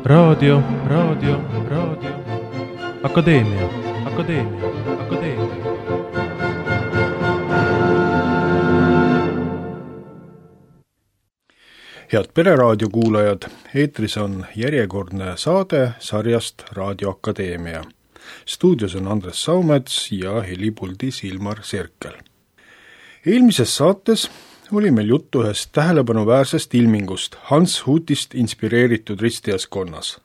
Raadio. Akadeemia. Head Pereraadio kuulajad, eetris on järjekordne saade sarjast Raadio Akadeemia. Stuudios on Andres Saumets ja helipuldis Ilmar Sirkel. Eelmises saates oli meil juttu ühest tähelepanuväärsest ilmingust Hans Hutist inspireeritud ristijaskonnas,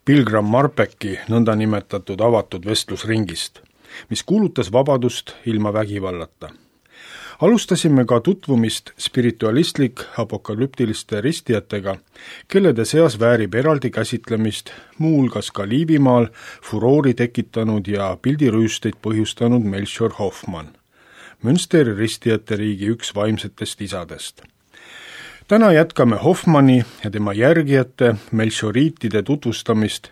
Pilgram Marpeki nõndanimetatud avatud vestlusringist, mis kuulutas vabadust ilma vägivallata. Alustasime ka tutvumist spiritualistlik apokalüptiliste ristijatega, kellede seas väärib eraldi käsitlemist muuhulgas ka Liivimaal furoori tekitanud ja pildirüüsteid põhjustanud Melchior Hoffmann, Münsteri ristijate riigi üks vaimsetest isadest. Täna jätkame Hoffmanni ja tema järgijate Melchioriitide tutvustamist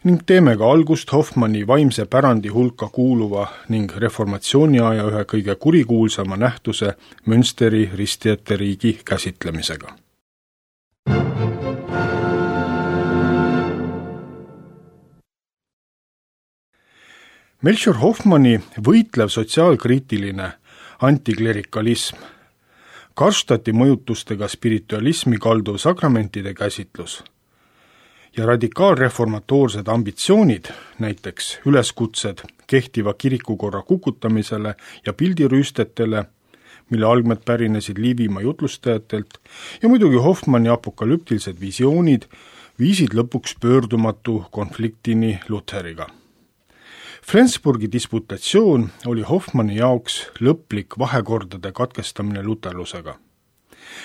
ning teeme ka algust Hoffmanni vaimse pärandi hulka kuuluva ning reformatsiooniaja ühe kõige kurikuulsama nähtuse Münsteri ristijate riigi käsitlemisega. Melchior Hoffmanni võitlev sotsiaalkriitiline antiklerikalism, Karstati mõjutustega spiritualismi kalduv sakramentide käsitlus ja radikaalreformatoorsed ambitsioonid, näiteks üleskutsed kehtiva kirikukorra kukutamisele ja pildirüüstetele, mille algmed pärinesid Liivimaa jutlustajatelt, ja muidugi Hoffmanni apokalüptilised visioonid viisid lõpuks pöördumatu konfliktini Lutheriga. Flensburgi disputatsioon oli Hoffmanni jaoks lõplik vahekordade katkestamine luterlusega.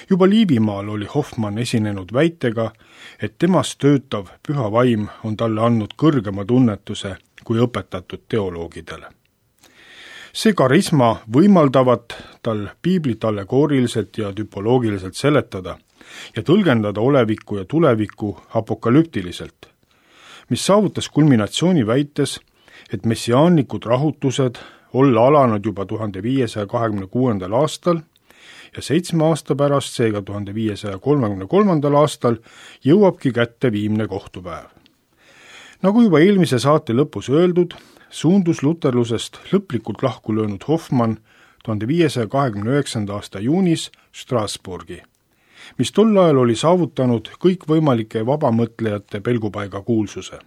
Juba Liivimaal oli Hoffmann esinenud väitega, et temast töötav püha vaim on talle andnud kõrgema tunnetuse kui õpetatud teoloogidele. See karisma võimaldavat tal piiblit allegooriliselt ja tüpoloogiliselt seletada ja tõlgendada olevikku ja tulevikku apokalüptiliselt, mis saavutas kulminatsiooni väites, et messiaanlikud rahutused olla alanud juba 1526. aastal ja 7 aasta pärast, seega 1533. aastal, jõuabki kätte viimne kohtupäev. Nagu juba eelmise saate lõpus öeldud, suundus luterlusest lõplikult lahku löönud Hoffmann 1529. aasta juunis Strasbourgi, mis tol ajal oli saavutanud kõikvõimalike vabamõtlejate pelgupaiga kuulsuse.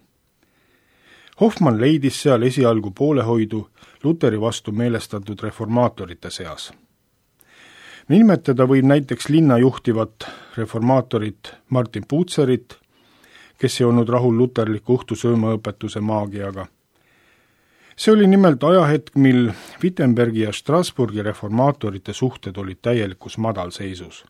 Hoffmann leidis seal esialgu poolehoidu Luteri vastu meelestatud reformaatorite seas. Nimetada võib näiteks linna juhtivat reformaatorit Martin Bucerit, kes ei olnud rahul luterliku õhtusöömaõpetuse maagiaga. See oli nimelt ajahetk, mil Wittenbergi ja Strasbourgi reformaatorite suhted olid täielikus madalseisus.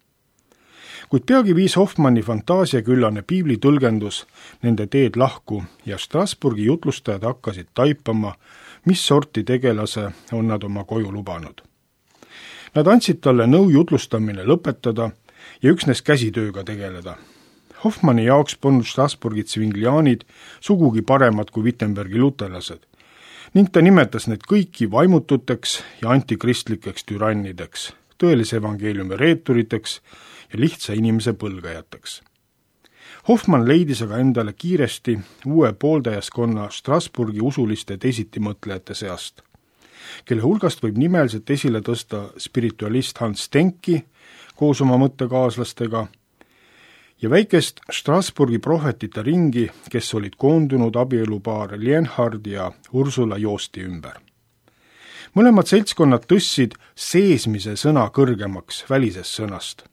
Kuid peagi viis Hoffmanni fantaasiaküllane piiblitõlgendus nende teed lahku ja Strasbourgi jutlustajad hakkasid taipama, mis sorti tegelase on nad oma koju lubanud. Nad andsid talle nõu jutlustamine lõpetada ja üksnes käsitööga tegeleda. Hoffmanni jaoks polnud Strasbourgi tsvingliaanid sugugi paremad kui Wittenbergi luterlased ning ta nimetas need kõiki vaimututeks ja antikristlikeks türannideks, tõelise evangeeliumi reeturiteks ja lihtsa inimese põlgajateks. Hoffmann leidis aga endale kiiresti uue pooldajaskonna Strasbourgi usuliste teisitimõtlejate seast, kelle hulgast võib nimeliselt esile tõsta spiritualist Hans Denki koos oma mõttekaaslastega ja väikest Strasbourgi prohvetite ringi, kes olid koondunud abielupaar Lienhard ja Ursula Joosti ümber. Mõlemad seltskonnad tõstsid seesmise sõna kõrgemaks välisest sõnast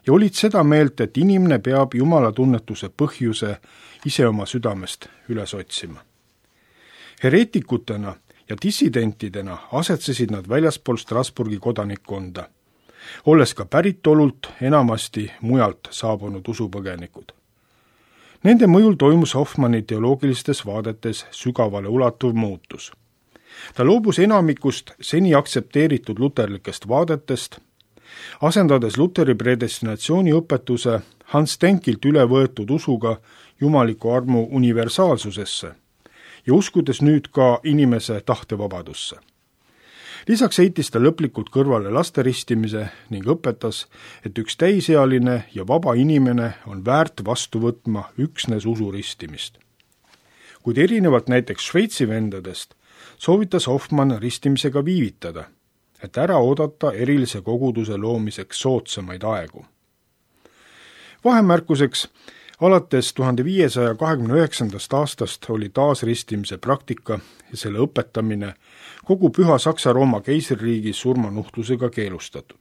ja olid seda meelt, et inimene peab Jumala tunnetuse põhjuse ise oma südamest üles otsima. Hereetikutena ja dissidentidena asetsesid nad väljaspool Strasbourgi kodanikkonda, olles ka päritolult enamasti mujalt saabunud usupõgenikud. Nende mõjul toimus Hoffmanni teoloogilistes vaadetes sügavale ulatuv muutus. Ta loobus enamikust seni aktsepteeritud luterlikest vaadetest, asendades Luteri predestinatsiooni õpetuse Hans Denkilt üle võetud usuga jumaliku armu universaalsusesse ja uskudes nüüd ka inimese tahtevabadusse. Lisaks heitis ta lõplikult kõrvale laste ristimise ning õpetas, et üks täisealine ja vaba inimene on väärt vastu võtma üksnes usuristimist. Kuid erinevalt näiteks Šveitsi vendadest soovitas Hoffmann ristimisega viivitada, et ära oodata erilise koguduse loomiseks soodsamaid aegu. Vahemärkuseks, alates 1529. aastast oli taasristimise praktika ja selle õpetamine kogu Püha Saksa-Rooma keisririigis surmanuhtlusega keelustatud.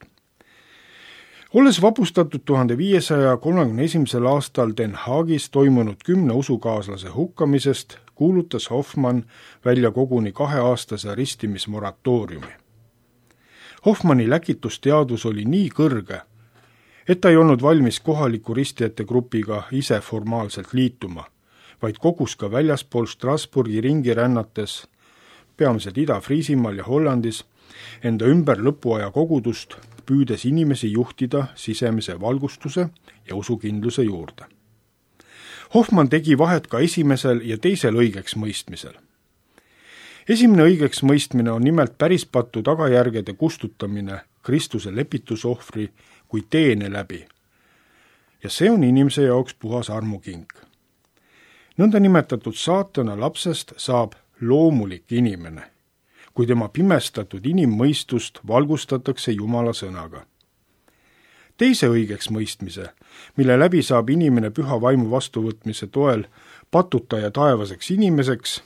Olles vapustatud 1531. aastal Den Haagis toimunud 10 usukaaslase hukkamisest, kuulutas Hoffmann välja koguni 2-aastase ristimismoratooriumi. Hoffmanni läkitusteadvus oli nii kõrge, et ta ei olnud valmis kohaliku ristijate grupiga ise formaalselt liituma, vaid kogus ka väljaspool Strasbourgi ringi rännates, peamiselt Ida-Friisimaal ja Hollandis, enda ümber lõpuaja kogudust, püüdes inimesi juhtida sisemise valgustuse ja usukindluse juurde. Hoffmann tegi vahet ka esimesel ja teisel õigeks mõistmisel. Esimene õigeks mõistmine on nimelt pärispattu tagajärgede kustutamine Kristuse lepitusohvri kui teene läbi. Ja see on inimese jaoks puhas armukink. Nõnda nimetatud saatana lapsest saab loomulik inimene, kui tema pimestatud inimmõistust valgustatakse Jumala sõnaga. Teise õigeks mõistmise, mille läbi saab inimene püha vaimu vastuvõtmise toel patuta ja taevaseks inimeseks,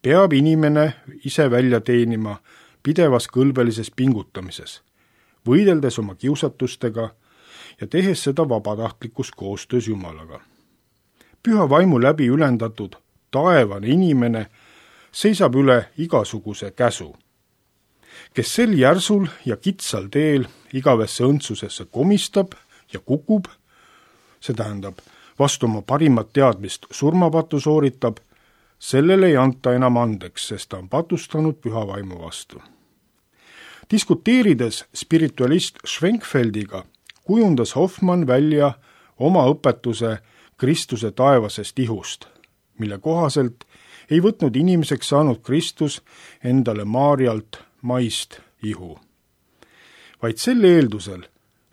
peab inimene ise välja teenima pidevas kõlbelises pingutamises, võideldes oma kiusatustega ja tehes seda vabatahtlikus koostöös Jumalaga. Püha vaimu läbi ülendatud taevane inimene seisab üle igasuguse käsu, kes sel järsul ja kitsal teel igavesse õndsusesse komistab ja kukub, see tähendab, vastu oma parimat teadmist surmapatu sooritab, sellele ei anta enam andeks, sest ta on patustanud püha vaimu vastu. Diskuteerides spiritualist Schwenkfeldiga, kujundas Hoffmann välja oma õpetuse Kristuse taevasest ihust, mille kohaselt ei võtnud inimeseks saanud Kristus endale Maarjalt maist ihu. Vaid sel eeldusel,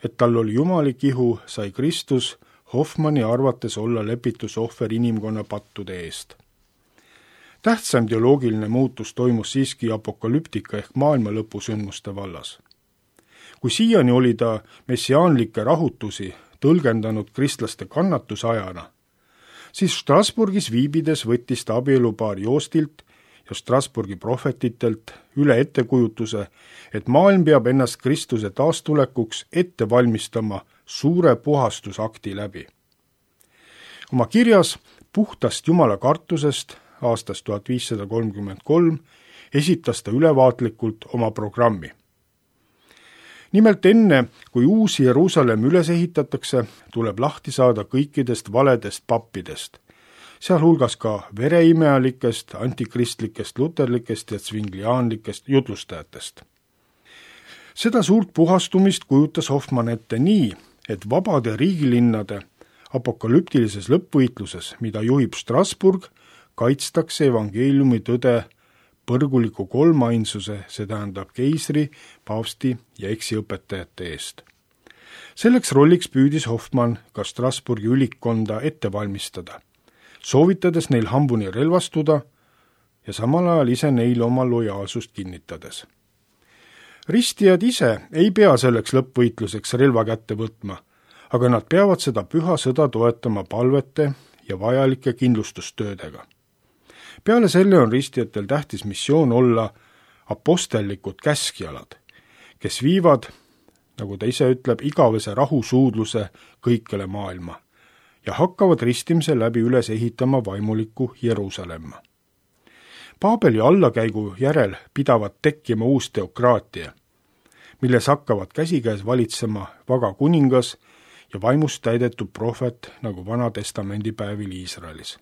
et tal oli jumalik ihu, sai Kristus Hoffmanni arvates olla lepitusohver inimkonna pattude eest. Tähtsam teoloogiline muutus toimus siiski apokalüptika ehk maailmalõpu sündmuste vallas. Kui siiani oli ta messiaanlikke rahutusi tõlgendanud kristlaste kannatusajana, siis Strasbourgis viibides võttis ta abielupaari Joostilt ja Strasbourgi prohvetitelt üle ettekujutuse, et maailm peab ennast Kristuse taastulekuks ette valmistama suure puhastusakti läbi. Oma kirjas puhtast Jumala kartusest aastast 1533 esitas ta ülevaatlikult oma programmi. Nimelt enne, kui uus Jeruusalemm üles ehitatakse, tuleb lahti saada kõikidest valedest pappidest, sealhulgas ka vereimealikest, antikristlikest, luterlikest ja tsvingliaanlikest jutlustajatest. Seda suurt puhastumist kujutas Hoffmann ette nii, et vabade riigilinnade apokalüptilises lõppvõitluses, mida juhib Strasbourg, kaitstakse evangeeliumi tõde põrguliku kolmainsuse, see tähendab keisri, paavsti ja eksiõpetajate eest. Selleks rolliks püüdis Hoffmann ka Strasbourgi ülikkonda ette valmistada, soovitades neil hambuni relvastuda ja samal ajal ise neile oma lojaalsust kinnitades. Ristijad ise ei pea selleks lõppvõitluseks relva kätte võtma, aga nad peavad seda püha sõda toetama palvete ja vajalike kindlustustöödega. Peale selle on ristijatel tähtis missioon olla apostellikud käskjalad, kes viivad, nagu ta ise ütleb, igavese rahusuudluse kõikjale maailma ja hakkavad ristimise läbi üles ehitama vaimulikku Jeruusalemma. Paabeli allakäigu järel pidavat tekkima uus teokraatia, milles hakkavad käsikäes valitsema vaga kuningas ja vaimust täidetud prohvet nagu Vana-testamendi päevil Iisraelis.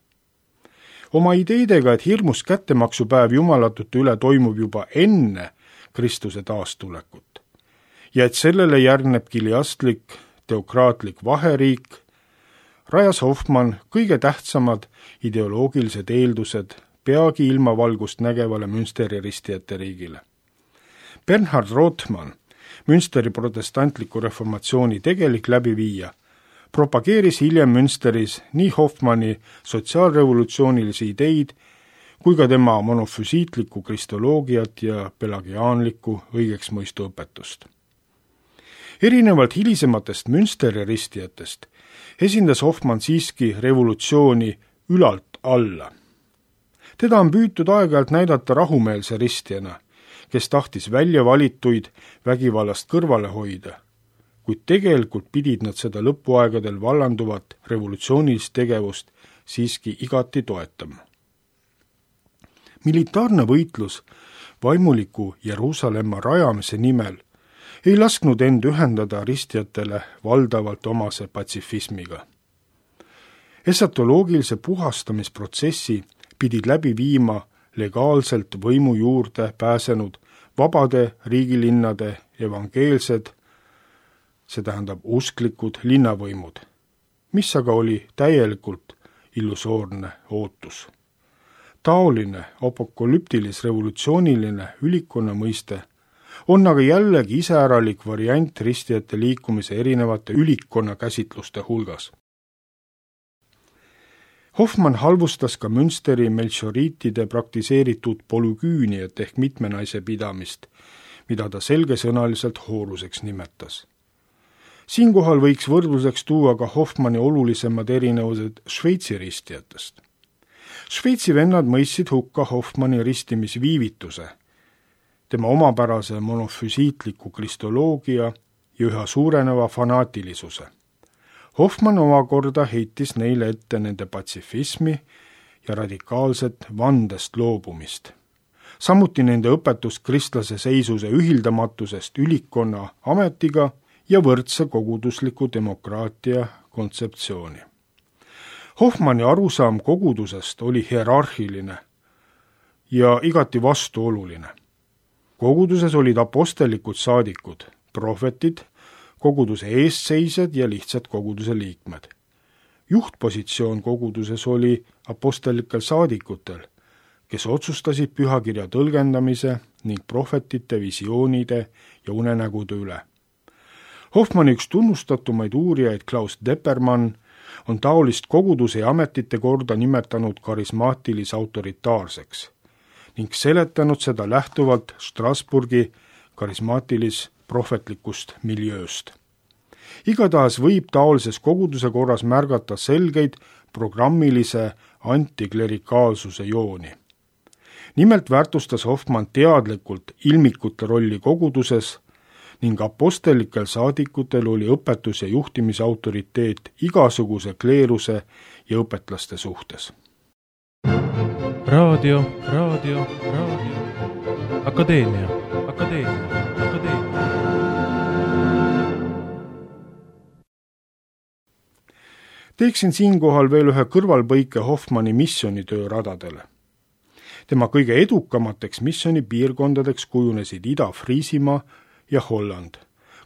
Oma ideedega, et hirmus kättemaksupäev jumalatute üle toimub juba enne Kristuse taastulekut ja et sellele järgneb kiliastlik teokraatlik vaheriik, rajas Hoffmann kõige tähtsamad ideoloogilised eeldused peagi ilmavalgust nägevale Münsteri ristijate riigile. Bernhard Rothmann, Münsteri protestantliku reformatsiooni tegelik läbiviija, propageeris hiljem Münsteris nii Hoffmanni sotsiaalrevolutsioonilisi ideid kui ka tema monofüsiitlikku kristoloogiat ja pelagiaanlikku õigeksmõistu õpetust. Erinevalt hilisematest Münsteri ristijatest esindas Hoffmann siiski revolutsiooni ülalt alla. Teda on püütud aeg-ajalt näidata rahumeelse ristijana, kes tahtis välja valituid vägivallast kõrvale hoida, kuid tegelikult pidid nad seda lõpuaegadel vallanduvat revolutsioonilist tegevust siiski igati toetama. Militaarne võitlus vaimuliku Jeruusalemma rajamise nimel ei lasknud end ühendada ristijatele valdavalt omase patsifismiga. Esatoloogilise puhastamisprotsessi pidid läbi viima legaalselt võimu juurde pääsenud vabade riigilinnade evangeelsed, see tähendab usklikud linnavõimud, mis aga oli täielikult illusoorne ootus. Taoline apokalüptilis-revolutsiooniline ülikonna mõiste on aga jällegi iseäralik variant ristijate liikumise erinevate ülikonna käsitluste hulgas. Hoffmann halvustas ka Münsteri melchioriitide praktiseeritud polüküüniat ehk mitmenaise pidamist, mida ta selgesõnaliselt hooruseks nimetas. Siinkohal võiks võrdluseks tuua ka Hoffmanni olulisemad erinevused Šveitsi ristijatest. Šveitsi vennad mõistsid hukka Hoffmanni ristimisviivituse, tema omapärase monofüsiitliku kristoloogia ja üha suureneva fanaatilisuse. Hoffmann omakorda heitis neile ette nende patsifismi ja radikaalset vandest loobumist. Samuti nende õpetust kristlase seisuse ühildamatusest ülikonna ametiga ja võrdse kogudusliku demokraatia kontseptsiooni. Hoffmanni arusaam kogudusest oli hierarhiline ja igati vastuoluline. Koguduses olid apostelikud saadikud, prohvetid, koguduse eestseisjad ja lihtsad koguduse liikmed. Juhtpositsioon koguduses oli apostelikel saadikutel, kes otsustasid pühakirja tõlgendamise ning prohvetite visioonide ja unenägude üle. Hoffmanni üks tunnustatumaid uurijaid Klaus Deppermann on taolist koguduse ja ametite korda nimetanud karismaatilis-autoritaarseks ning seletanud seda lähtuvalt Strasbourgi karismaatilis-prohvetlikust miljööst. Igatahes võib taolises koguduse korras märgata selgeid programmilise antiklerikaalsuse jooni. Nimelt väärtustas Hoffmann teadlikult ilmikute rolli koguduses ning apostelikel saadikutel oli õpetus- ja juhtimise autoriteet igasuguse kleeruse ja õpetlaste suhtes. Raadio. Akadeemia. Teeksin siinkohal veel ühe kõrvalpõike Hoffmanni missionitöö radadele. Tema kõige edukamateks missionipiirkondadeks kujunesid Ida-Friisimaa ja Holland,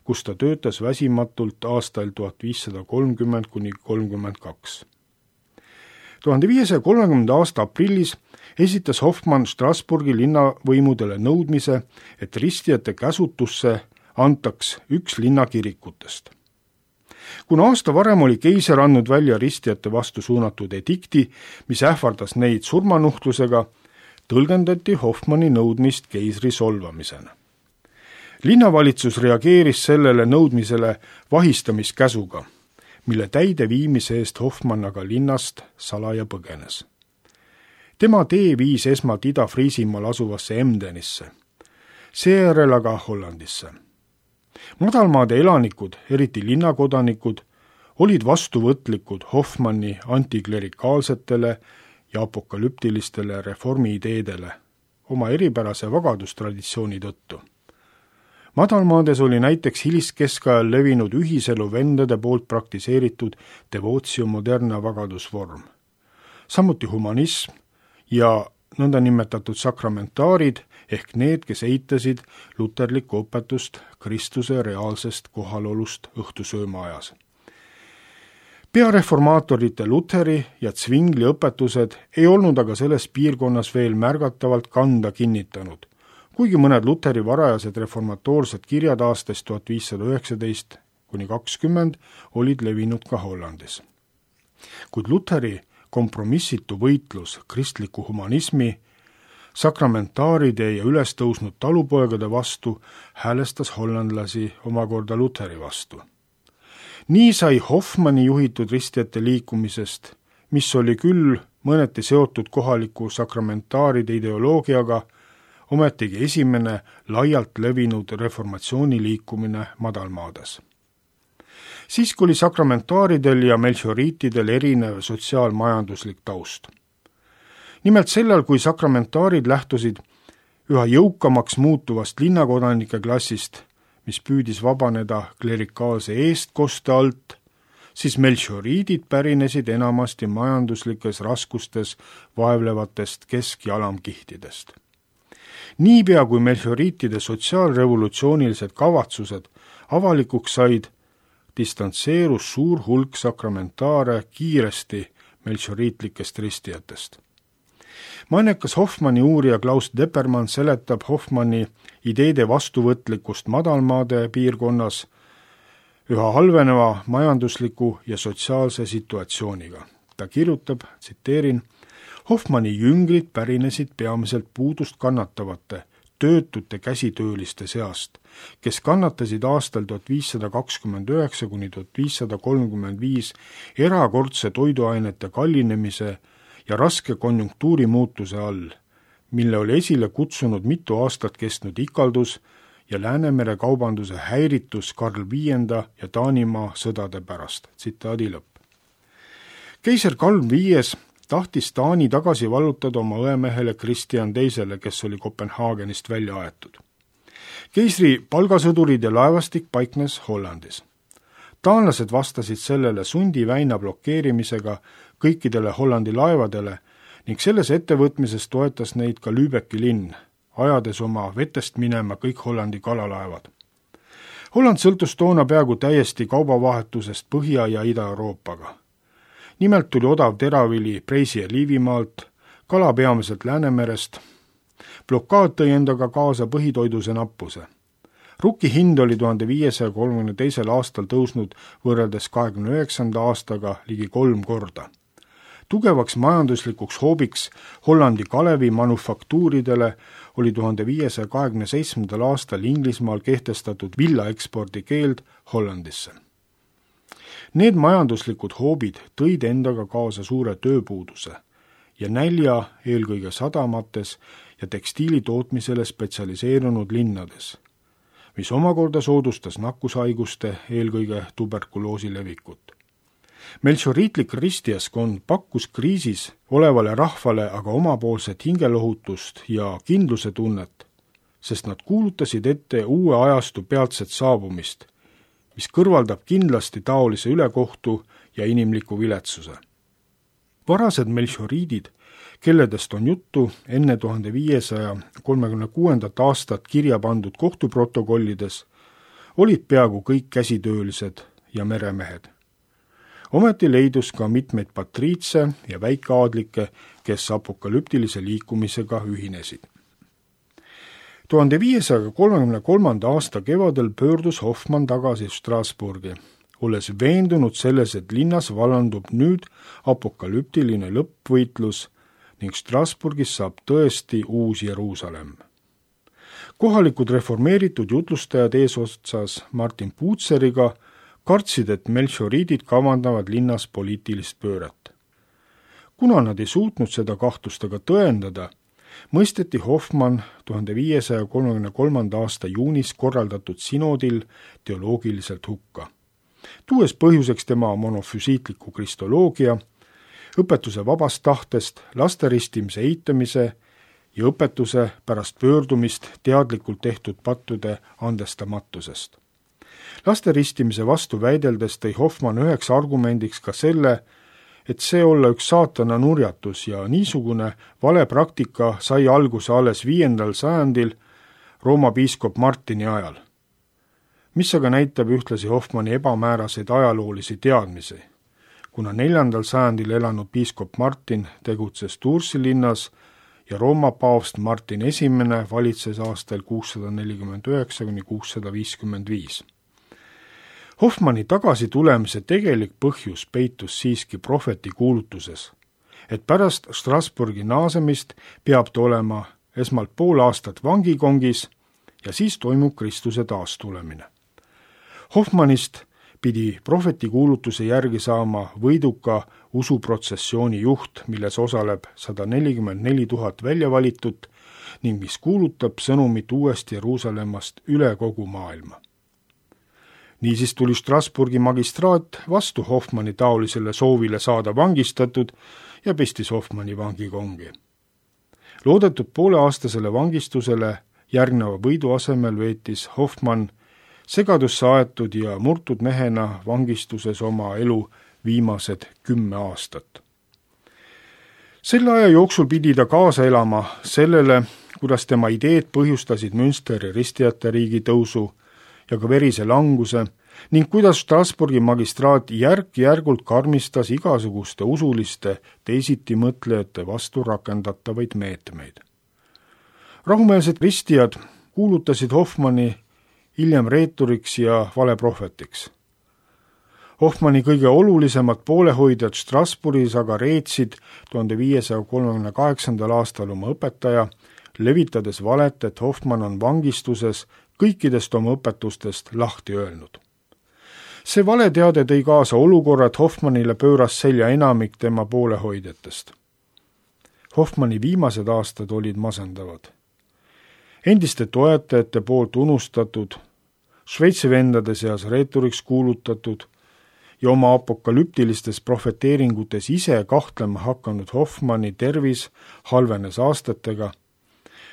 kus ta töötas väsimatult aastail 1530–32. 1530. aasta aprillis esitas Hoffmann Strasbourgi linnavõimudele nõudmise, et ristijate käsutusse antaks üks linnakirikutest. Kuna aasta varem oli keiser andnud välja ristijate vastu suunatud edikti, mis ähvardas neid surmanuhtlusega, tõlgendati Hoffmanni nõudmist keisri solvamisena. Linnavalitsus reageeris sellele nõudmisele vahistamiskäsuga, mille täideviimise eest Hoffmann aga linnast salaja põgenes. Tema tee viis esmalt Ida-Friisimaal asuvasse Emdenisse, seejärel aga Hollandisse. Madalmaade elanikud, eriti linnakodanikud, olid vastuvõtlikud Hoffmanni antiklerikaalsetele ja apokalüptilistele reformiideedele oma eripärase vagadustraditsiooni tõttu. Madalmaades oli näiteks hiliskeskajal levinud ühiselu vendade poolt praktiseeritud devootio moderna vagadusvorm. Samuti humanism ja nõndanimetatud sakramentaarid ehk need, kes eitasid luterlikku õpetust Kristuse reaalsest kohalolust õhtusööma ajas. Peareformaatorite Lutheri ja Zwingli õpetused ei olnud aga selles piirkonnas veel märgatavalt kanda kinnitanud, kuigi mõned Lutheri varajased reformatoorsed kirjad aastast 1519–20 olid levinud ka Hollandis. Kuid Lutheri kompromissitu võitlus kristliku humanismi, sakramentaaride ja ülestõusnud talupoegade vastu häälestas hollandlasi omakorda Lutheri vastu. Nii sai Hofmanni juhitud ristijate liikumisest, mis oli küll mõneti seotud kohaliku sakramentaaride ideoloogiaga, ometigi esimene laialt levinud reformatsiooni liikumine madalmaades. Siiski oli sakramentaaridel ja melchioriitidel erinev sotsiaalmajanduslik taust. Nimelt sellel, kui sakramentaarid lähtusid üha jõukamaks muutuvast linnakodanike klassist, mis püüdis vabaneda klerikaalse eestkoste alt, siis melchioriidid pärinesid enamasti majanduslikes raskustes vaevlevatest kesk- ja alamkihtidest. Niipea kui melchioriitide sotsiaalrevolutsioonilised kavatsused avalikuks said, distantseerus suur hulk sakramentaare kiiresti melchioriitlikest ristijatest. Mainekas Hofmanni uurija Klaus Deppermann seletab Hofmanni ideede vastuvõtlikkust madalmaade piirkonnas üha halveneva majandusliku ja sotsiaalse situatsiooniga. Ta kirjutab, tsiteerin, Hofmanni jüngrid pärinesid peamiselt puudust kannatavate, töötute käsitööliste seast, kes kannatasid aastal 1529–1535 erakordse toiduainete kallinemise ja raske konjunktuuri muutuse all, mille oli esile kutsunud mitu aastat kestnud ikaldus ja Läänemere kaubanduse häiritus Karl V ja Taanimaa sõdade pärast. Tsitaadi lõpp. Keiser Karl V tahtis Taani tagasi vallutada oma õemehele Kristjan II, kes oli Kopenhaagenist välja aetud. Keisri palgasõdurid ja laevastik paiknes Hollandis. Taanlased vastasid sellele sundiväina blokeerimisega kõikidele Hollandi laevadele ning selles ettevõtmises toetas neid ka Lübecki linn, ajades oma vetest minema kõik Hollandi kalalaevad. Holland sõltus toona peaaegu täiesti kaubavahetusest Põhja- ja Ida-Euroopaga. Nimelt tuli odav teravili Preisi ja Liivimaalt, kala peamiselt Läänemerest. Blokaad tõi endaga kaasa põhitoiduse nappuse. Rukki hind oli 1532. aastal tõusnud võrreldes 29. aastaga ligi 3 korda. Tugevaks majanduslikuks hoobiks Hollandi Kalevi manufaktuuridele oli 1527. aastal Inglismaal kehtestatud villaekspordi keeld Hollandisse. Need majanduslikud hoobid tõid endaga kaasa suure tööpuuduse ja nälja eelkõige sadamates ja tekstiilitootmisele spetsialiseerunud linnades, mis omakorda soodustas nakkushaiguste, eelkõige tuberkuloosi levikut. Melchioriitlik ristijaskond pakkus kriisis olevale rahvale aga omapoolset hingelohutust ja kindluse tunnet, sest nad kuulutasid ette uue ajastu peatset saabumist, mis kõrvaldab kindlasti taolise ülekohtu ja inimliku viletsuse. Varased melchioriidid, kelledest on juttu enne 1536. aastat kirja pandud kohtuprotokollides, olid peaaegu kõik käsitöölised ja meremehed. Ometi leidus ka mitmeid patriitse ja väikeaadlikke, kes apokalüptilise liikumisega ühinesid. 1533. aasta kevadel pöördus Hofmann tagasi Strasbourgi, olles veendunud selles, et linnas vallandub nüüd apokalüptiline lõppvõitlus ning Strasbourgis saab tõesti uus Jeruusalemm. Kohalikud reformeeritud jutlustajad eesotsas Martin Puutseriga kartsid, et melchioriidid kavandavad linnas poliitilist pööret. Kuna nad ei suutnud seda kahtlustega tõendada, mõisteti Hofmann 1533. aasta juunis korraldatud sinodil teoloogiliselt hukka, tuues põhjuseks tema monofüsiitliku kristoloogia, õpetuse vabast tahtest, lasteristimise eitamise ja õpetuse pärast pöördumist teadlikult tehtud pattude andestamatusest. Lasteristimise vastu väideldes tõi Hofmann üheks argumendiks ka selle, et see olla üks saatana nurjatus ja niisugune vale praktika sai alguse alles 5. sajandil Rooma piiskop Martini ajal, mis aga näitab ühtlasi Hofmanni ebamääraseid ajaloolisi teadmisi, kuna 4. sajandil elanud piiskop Martin tegutses Toursi linnas ja Rooma paavst Martin I valitses aastal 649–655. Hoffmanni tagasitulemise tegelik põhjus peitus siiski prohveti kuulutuses, et pärast Strasbourgi naasemist peab ta olema esmalt pool aastat vangikongis ja siis toimub Kristuse taastulemine. Hoffmannist pidi prohveti kuulutuse järgi saama võiduka usuprotsessiooni juht, milles osaleb 144 000 väljavalitut ning mis kuulutab sõnumit uuest Jeruusalemmast üle kogu maailma. Niisiis tuli Strasbourgi magistraat vastu Hoffmanni taolisele soovile saada vangistatud ja pistis Hoffmanni vangikongi. Loodetud pooleaastasele vangistusele järgneva võidu asemel veetis Hoffmann segadusse aetud ja murtud mehena vangistuses oma elu viimased 10 aastat. Selle aja jooksul pidi ta kaasa elama sellele, kuidas tema ideed põhjustasid Münsteri ristijate riigi tõusu ja ka verise languse ning kuidas Strasbourgi magistraat järk-järgult karmistas igasuguste usuliste teisitimõtlejate vastu rakendatavaid meetmeid. Rahumeelsed ristijad kuulutasid Hoffmanni hiljem reeturiks ja valeprohvetiks. Hoffmanni kõige olulisemad poolehoidjad Strasbourgis aga reetsid 1538. aastal oma õpetaja, levitades valet, et Hoffmann on vangistuses kõikidest oma õpetustest lahti öelnud. See valeteade tõi kaasa olukorra, et Hoffmannile pööras selja enamik tema poolehoidjatest. Hoffmanni viimased aastad olid masendavad. Endiste toetajate poolt unustatud, Šveitsi vendade seas reeturiks kuulutatud ja oma apokalüptilistes profeteeringutes ise kahtlema hakanud Hoffmanni tervis halvenes aastatega.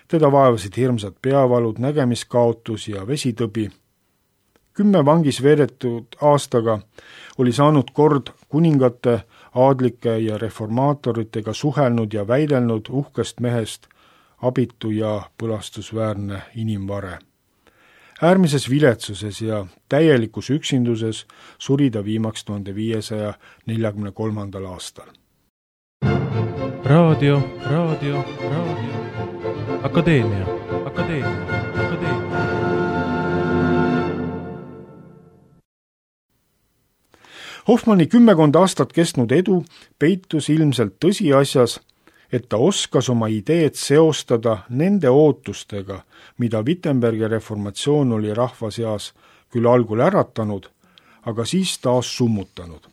Teda vaevasid hirmsad peavalud, nägemiskaotus ja vesitõbi. 10 vangis veedetud aastaga oli saanud kord kuningate, aadlike ja reformaatoritega suhelnud ja väidelnud uhkest mehest abitu ja põlastusväärne inimvare. Äärmises viletsuses ja täielikus üksinduses suri ta viimaks 1543. aastal. Raadio. Akadeemia. Hoffmanni 10 aastat kestnud edu peitus ilmselt tõsiasjas, et ta oskas oma ideed seostada nende ootustega, mida Wittenbergi reformatsioon oli rahva seas küll algul äratanud, aga siis taas summutanud.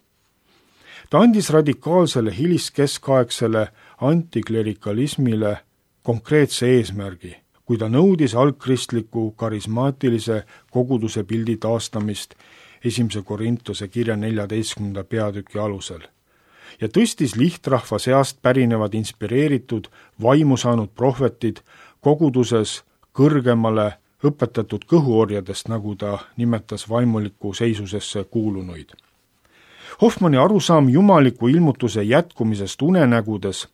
Ta andis radikaalsele hiliskeskaegsele antiklerikalismile konkreetse eesmärgi, kui ta nõudis algkristliku karismaatilise koguduse pildi taastamist 1. Korintuse kirja 14. peatüki alusel ja tõstis lihtrahva seast pärinevad inspireeritud, vaimu saanud prohvetid koguduses kõrgemale õpetatud kõhuorjadest, nagu ta nimetas vaimuliku seisusesse kuulunuid. Hoffmanni arusaam jumaliku ilmutuse jätkumisest unenägudes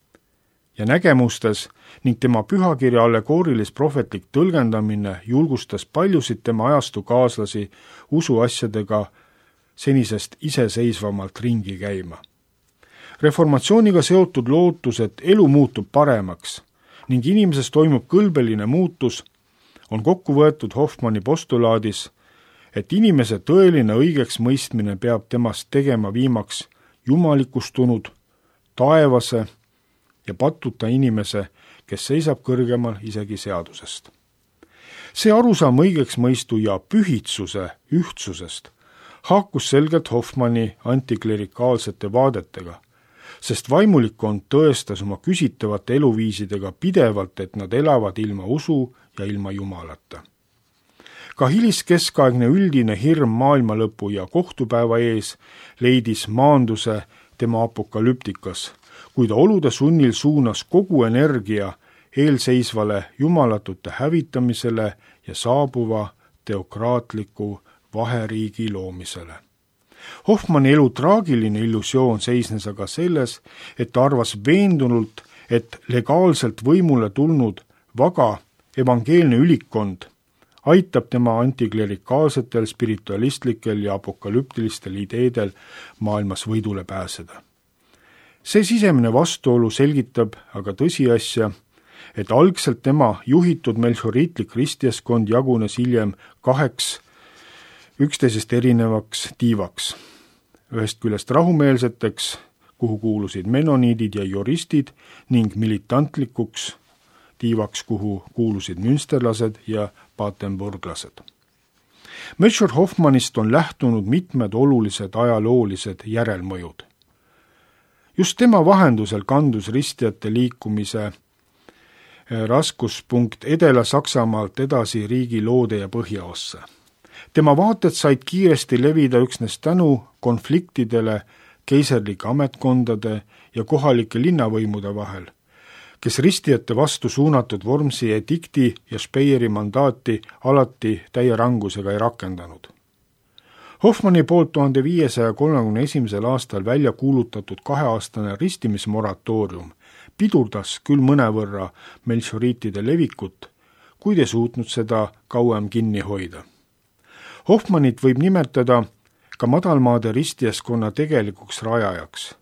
ja nägemustes ning tema pühakirja allegoorilis-prohvetlik tõlgendamine julgustas paljusid tema ajastu kaaslasi usuasjadega senisest iseseisvamalt ringi käima. Reformatsiooniga seotud lootus, et elu muutub paremaks ning inimeses toimub kõlbeline muutus, on kokku võetud Hoffmanni postulaadis, et inimese tõeline õigeks mõistmine peab temast tegema viimaks jumalikustunud, taevase ja patuta inimese, kes seisab kõrgemal isegi seadusest. See arusaam õigeksmõistu ja pühitsuse ühtsusest haakus selgelt Hoffmanni antiklerikaalsete vaadetega, sest vaimulikkond tõestas oma küsitavate eluviisidega pidevalt, et nad elavad ilma usu ja ilma Jumalata. Ka hiliskeskaegne üldine hirm maailmalõpu ja kohtupäeva ees leidis maanduse tema apokalüptikas, kui ta olude sunnil suunas kogu energia eelseisvale jumalatute hävitamisele ja saabuva teokraatliku vaheriigi loomisele. Hoffmanni elu traagiline illusioon seisnes aga selles, et ta arvas veendunult, et legaalselt võimule tulnud vaga evangeelne ülikond aitab tema antiklerikaalsetel, spiritualistlikel ja apokalüptilistel ideedel maailmas võidule pääseda. See sisemine vastuolu selgitab aga tõsiasja, et algselt tema juhitud melchoriitlik ristiaskond jagunes hiljem 2 üksteisest erinevaks tiivaks. Ühest küljest rahumeelseteks, kuhu kuulusid menoniidid ja juristid, ning militantlikuks tiivaks, kuhu kuulusid münsterlased ja patenburglased. Melchior Hoffmannist on lähtunud mitmed olulised ajaloolised järelmõjud. Just tema vahendusel kandus ristijate liikumise raskuspunkt Edela-Saksamaalt edasi riigi loode ja põhjaossa. Tema vaated said kiiresti levida üksnes tänu konfliktidele keiserlike ametkondade ja kohalike linnavõimude vahel, kes ristijate vastu suunatud Wormsi edikti ja Speyeri mandaati alati täie rangusega ei rakendanud. Hoffmanni poolt 1531. aastal välja kuulutatud 2-aastane ristimismoratoorium pidurdas küll mõnevõrra melchoriitide levikut, kuid ei suutnud seda kauem kinni hoida. Hoffmannit võib nimetada ka madalmaade ristijaskonna tegelikuks rajajaks,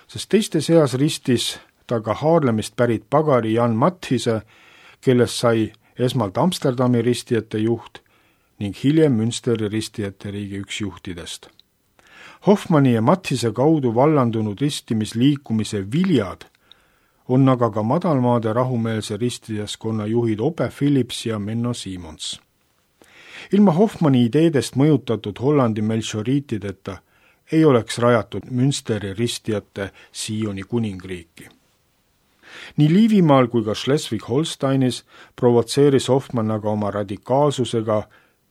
sest teiste seas ristis ta ka Haarlemist pärit pagari Jan Matthise, kellest sai esmalt Amsterdami ristijate juht ning hiljem Münsteri ristijate riigi üks juhtidest. Hoffmanni ja Matthise kaudu vallandunud ristimisliikumise viljad on aga ka madalmaade rahumeelse ristijaskonna juhid Ope Philips ja Menno Simons. Ilma Hoffmanni ideedest mõjutatud Hollandi melchoriitideta ei oleks rajatud Münsteri ristijate Sioni kuningriiki. Nii Liivimaal kui ka Schleswig-Holsteinis provotseeris Hoffmann aga oma radikaalsusega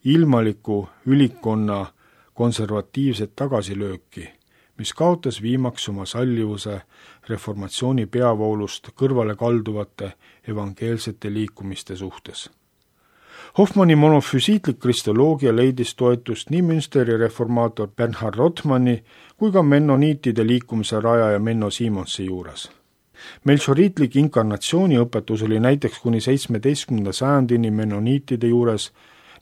ilmaliku ülikonna konservatiivset tagasilööki, mis kaotas viimaks oma sallivuse reformatsiooni peavoolust kõrvale kalduvate evangeelsete liikumiste suhtes. Hoffmanni monofüsiitlik kristoloogia leidis toetust nii Münsteri reformaator Bernhard Rothmanni kui ka mennoniitide liikumise rajaja Menno Simonsi juures. Melchoriitlik inkarnatsiooniõpetus oli näiteks kuni 17. sajandini mennoniitide juures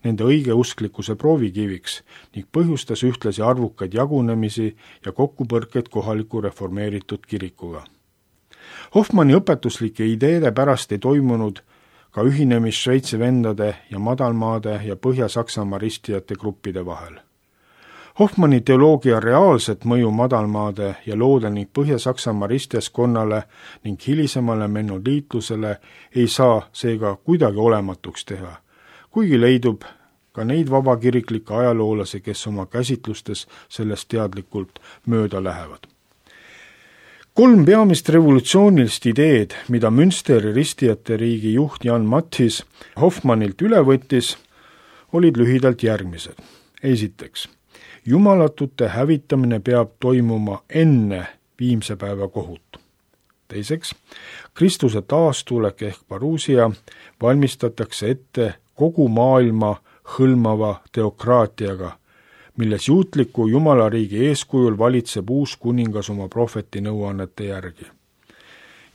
nende õigeusklikkuse proovikiviks ning põhjustas ühtlasi arvukaid jagunemisi ja kokkupõrkeid kohaliku reformeeritud kirikuga. Hoffmanni õpetuslike ideede pärast ei toimunud ka ühinemist Šveitsi vendade ja madalmaade ja Põhja-Saksamaa ristijate gruppide vahel. Hoffmanni teoloogia reaalset mõju madalmaade ja loode ning Põhja-Saksamaa ristijaskonnale ning hilisemale mennoliitlusele ei saa seega kuidagi olematuks teha, kuigi leidub ka neid vabakiriklikke ajaloolasi, kes oma käsitlustes sellest teadlikult mööda lähevad. 3 peamist revolutsioonilist ideed, mida Münsteri ristijate riigi juht Jan Matthis Hoffmannilt üle võttis, olid lühidalt järgmised. Esiteks, jumalatute hävitamine peab toimuma enne viimse päeva kohut. Teiseks, Kristuse taastulek ehk paruusia valmistatakse ette kogu maailma hõlmava teokraatiaga, milles juutliku jumalariigi eeskujul valitseb uus kuningas oma prohveti nõuannete järgi.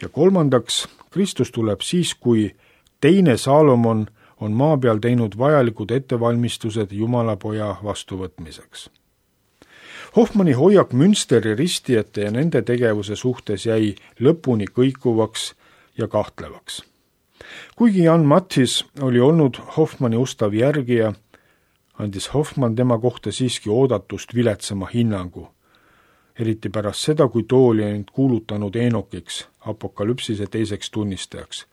Ja kolmandaks, Kristus tuleb siis, kui teine Saalomon on maa peal teinud vajalikud ettevalmistused Jumalapoja vastuvõtmiseks. Hoffmanni hoiak Münsteri ristijate ja nende tegevuse suhtes jäi lõpuni kõikuvaks ja kahtlevaks. Kuigi Jan Matthis oli olnud Hoffmanni ustav järgija, andis Hoffmann tema kohta siiski oodatust viletsama hinnangu, eriti pärast seda, kui too oli end kuulutanud Eenokiks, apokalüpsise teiseks tunnistajaks.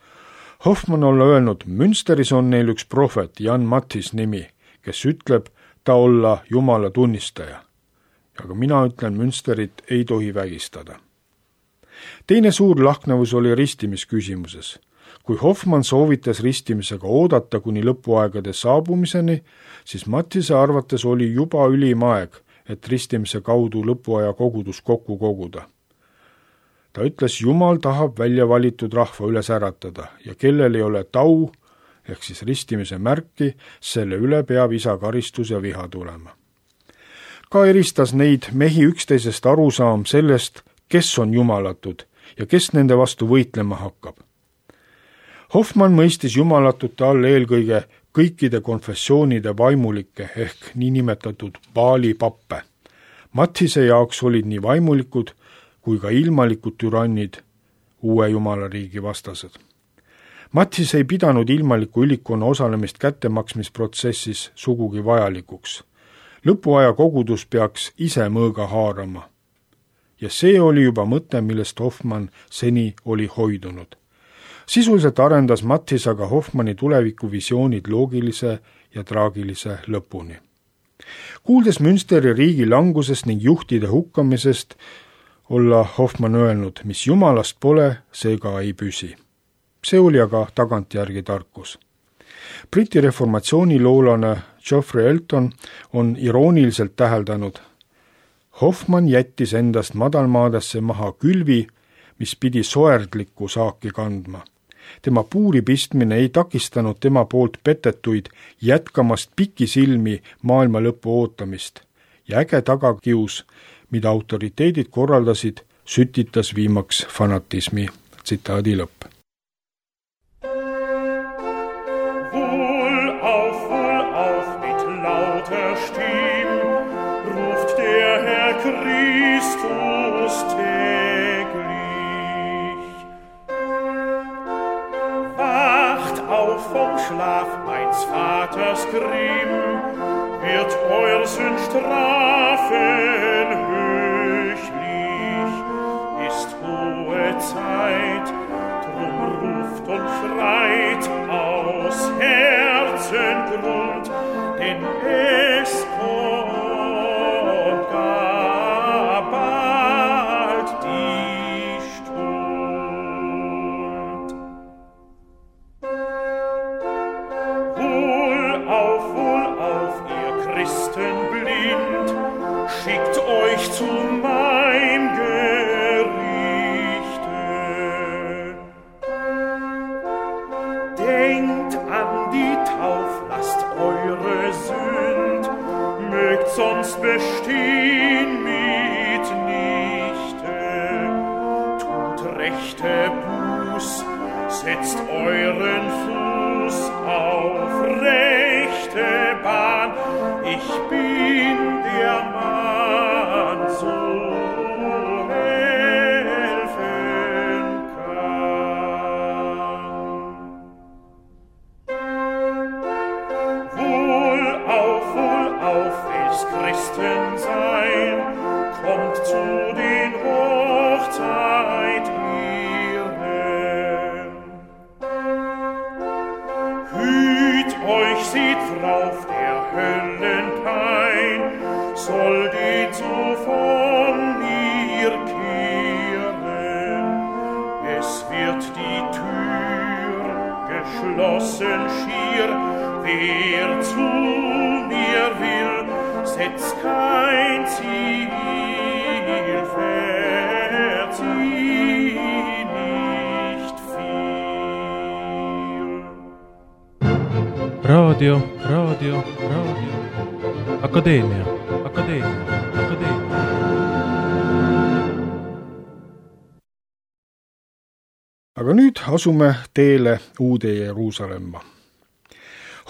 Hoffmann on öelnud, Münsteris on neil üks prohvet, Jan Matthis nimi, kes ütleb ta olla Jumala tunnistaja. Aga mina ütlen, Münsterit ei tohi vägistada. Teine suur lahknevus oli ristimisküsimuses. Kui Hoffmann soovitas ristimisega oodata kuni lõpuaegade saabumiseni, siis Matthise arvates oli juba ülim aeg, et ristimise kaudu lõpuaja kogudus kokku koguda. Ta ütles, Jumal tahab välja valitud rahva üles äratada ja kellel ei ole tau, ehk siis ristimise märki, selle üle peab isa karistus ja viha tulema. Ka eristas neid mehi üksteisest arusaam sellest, kes on jumalatud ja kes nende vastu võitlema hakkab. Hoffmann mõistis jumalatute all eelkõige kõikide konfessioonide vaimulikke ehk niinimetatud baalipappe. Matthise jaoks olid nii vaimulikud kui ka ilmalikud türannid uue jumalariigi vastased. Matthis ei pidanud ilmaliku ülikonna osalemist kättemaksmisprotsessis sugugi vajalikuks. Lõpuaja kogudus peaks ise mõõga haarama. Ja see oli juba mõte, millest Hoffmann seni oli hoidunud. Sisuliselt arendas Matthis aga Hoffmanni tulevikuvisioonid loogilise ja traagilise lõpuni. Kuuldes Münsteri riigi langusest ning juhtide hukkamisest, olla Hoffmann öelnud, mis jumalast pole, see ka ei püsi. See oli aga tagantjärgi tarkus. Briti reformatsiooniloolane Geoffrey Elton on irooniliselt täheldanud, Hoffmann jättis endast madalmaadesse maha külvi, mis pidi soerdlikku saaki kandma. Tema puuri pistmine ei takistanud tema poolt petetuid jätkamast pikisilmi maailma lõpu ootamist ja äge tagakius, mida autoriteedid korraldasid, sütitas viimaks fanatismi. Tsitaadi lõpp. Wohl auf mit lauter Stimm ruft der Herr Christus täglich. Wacht auf vom Schlaf meines Vaters Grimm, wird euer Sünd strafen höchlich. Ist hohe Zeit, drum ruft und schreit aus Herzengrund, denn es kommt gar bald die Stund. Wohl auf, ihr Christen blind, schickt euch zu mein Gerichte. Denkt an die Tauflast eure Sünd, mögt sonst bestehen mitnichte. Tut rechte Buß, setzt euren Fuß auf rechte Bahn. Ich bin der Mann, so helfen kann. Wohl auf, welches Christen sein, kommt zu den Hochzeit ihren. Hüt euch, seht drauf, der Höllenpein soll den so von mir kehren. Es wird die Tür geschlossen schier, wer zu mir will, setzt kein Ziel, verzieh nicht viel. Radio. Akadeemia. Aga nüüd asume teele uude Jeruusalemma.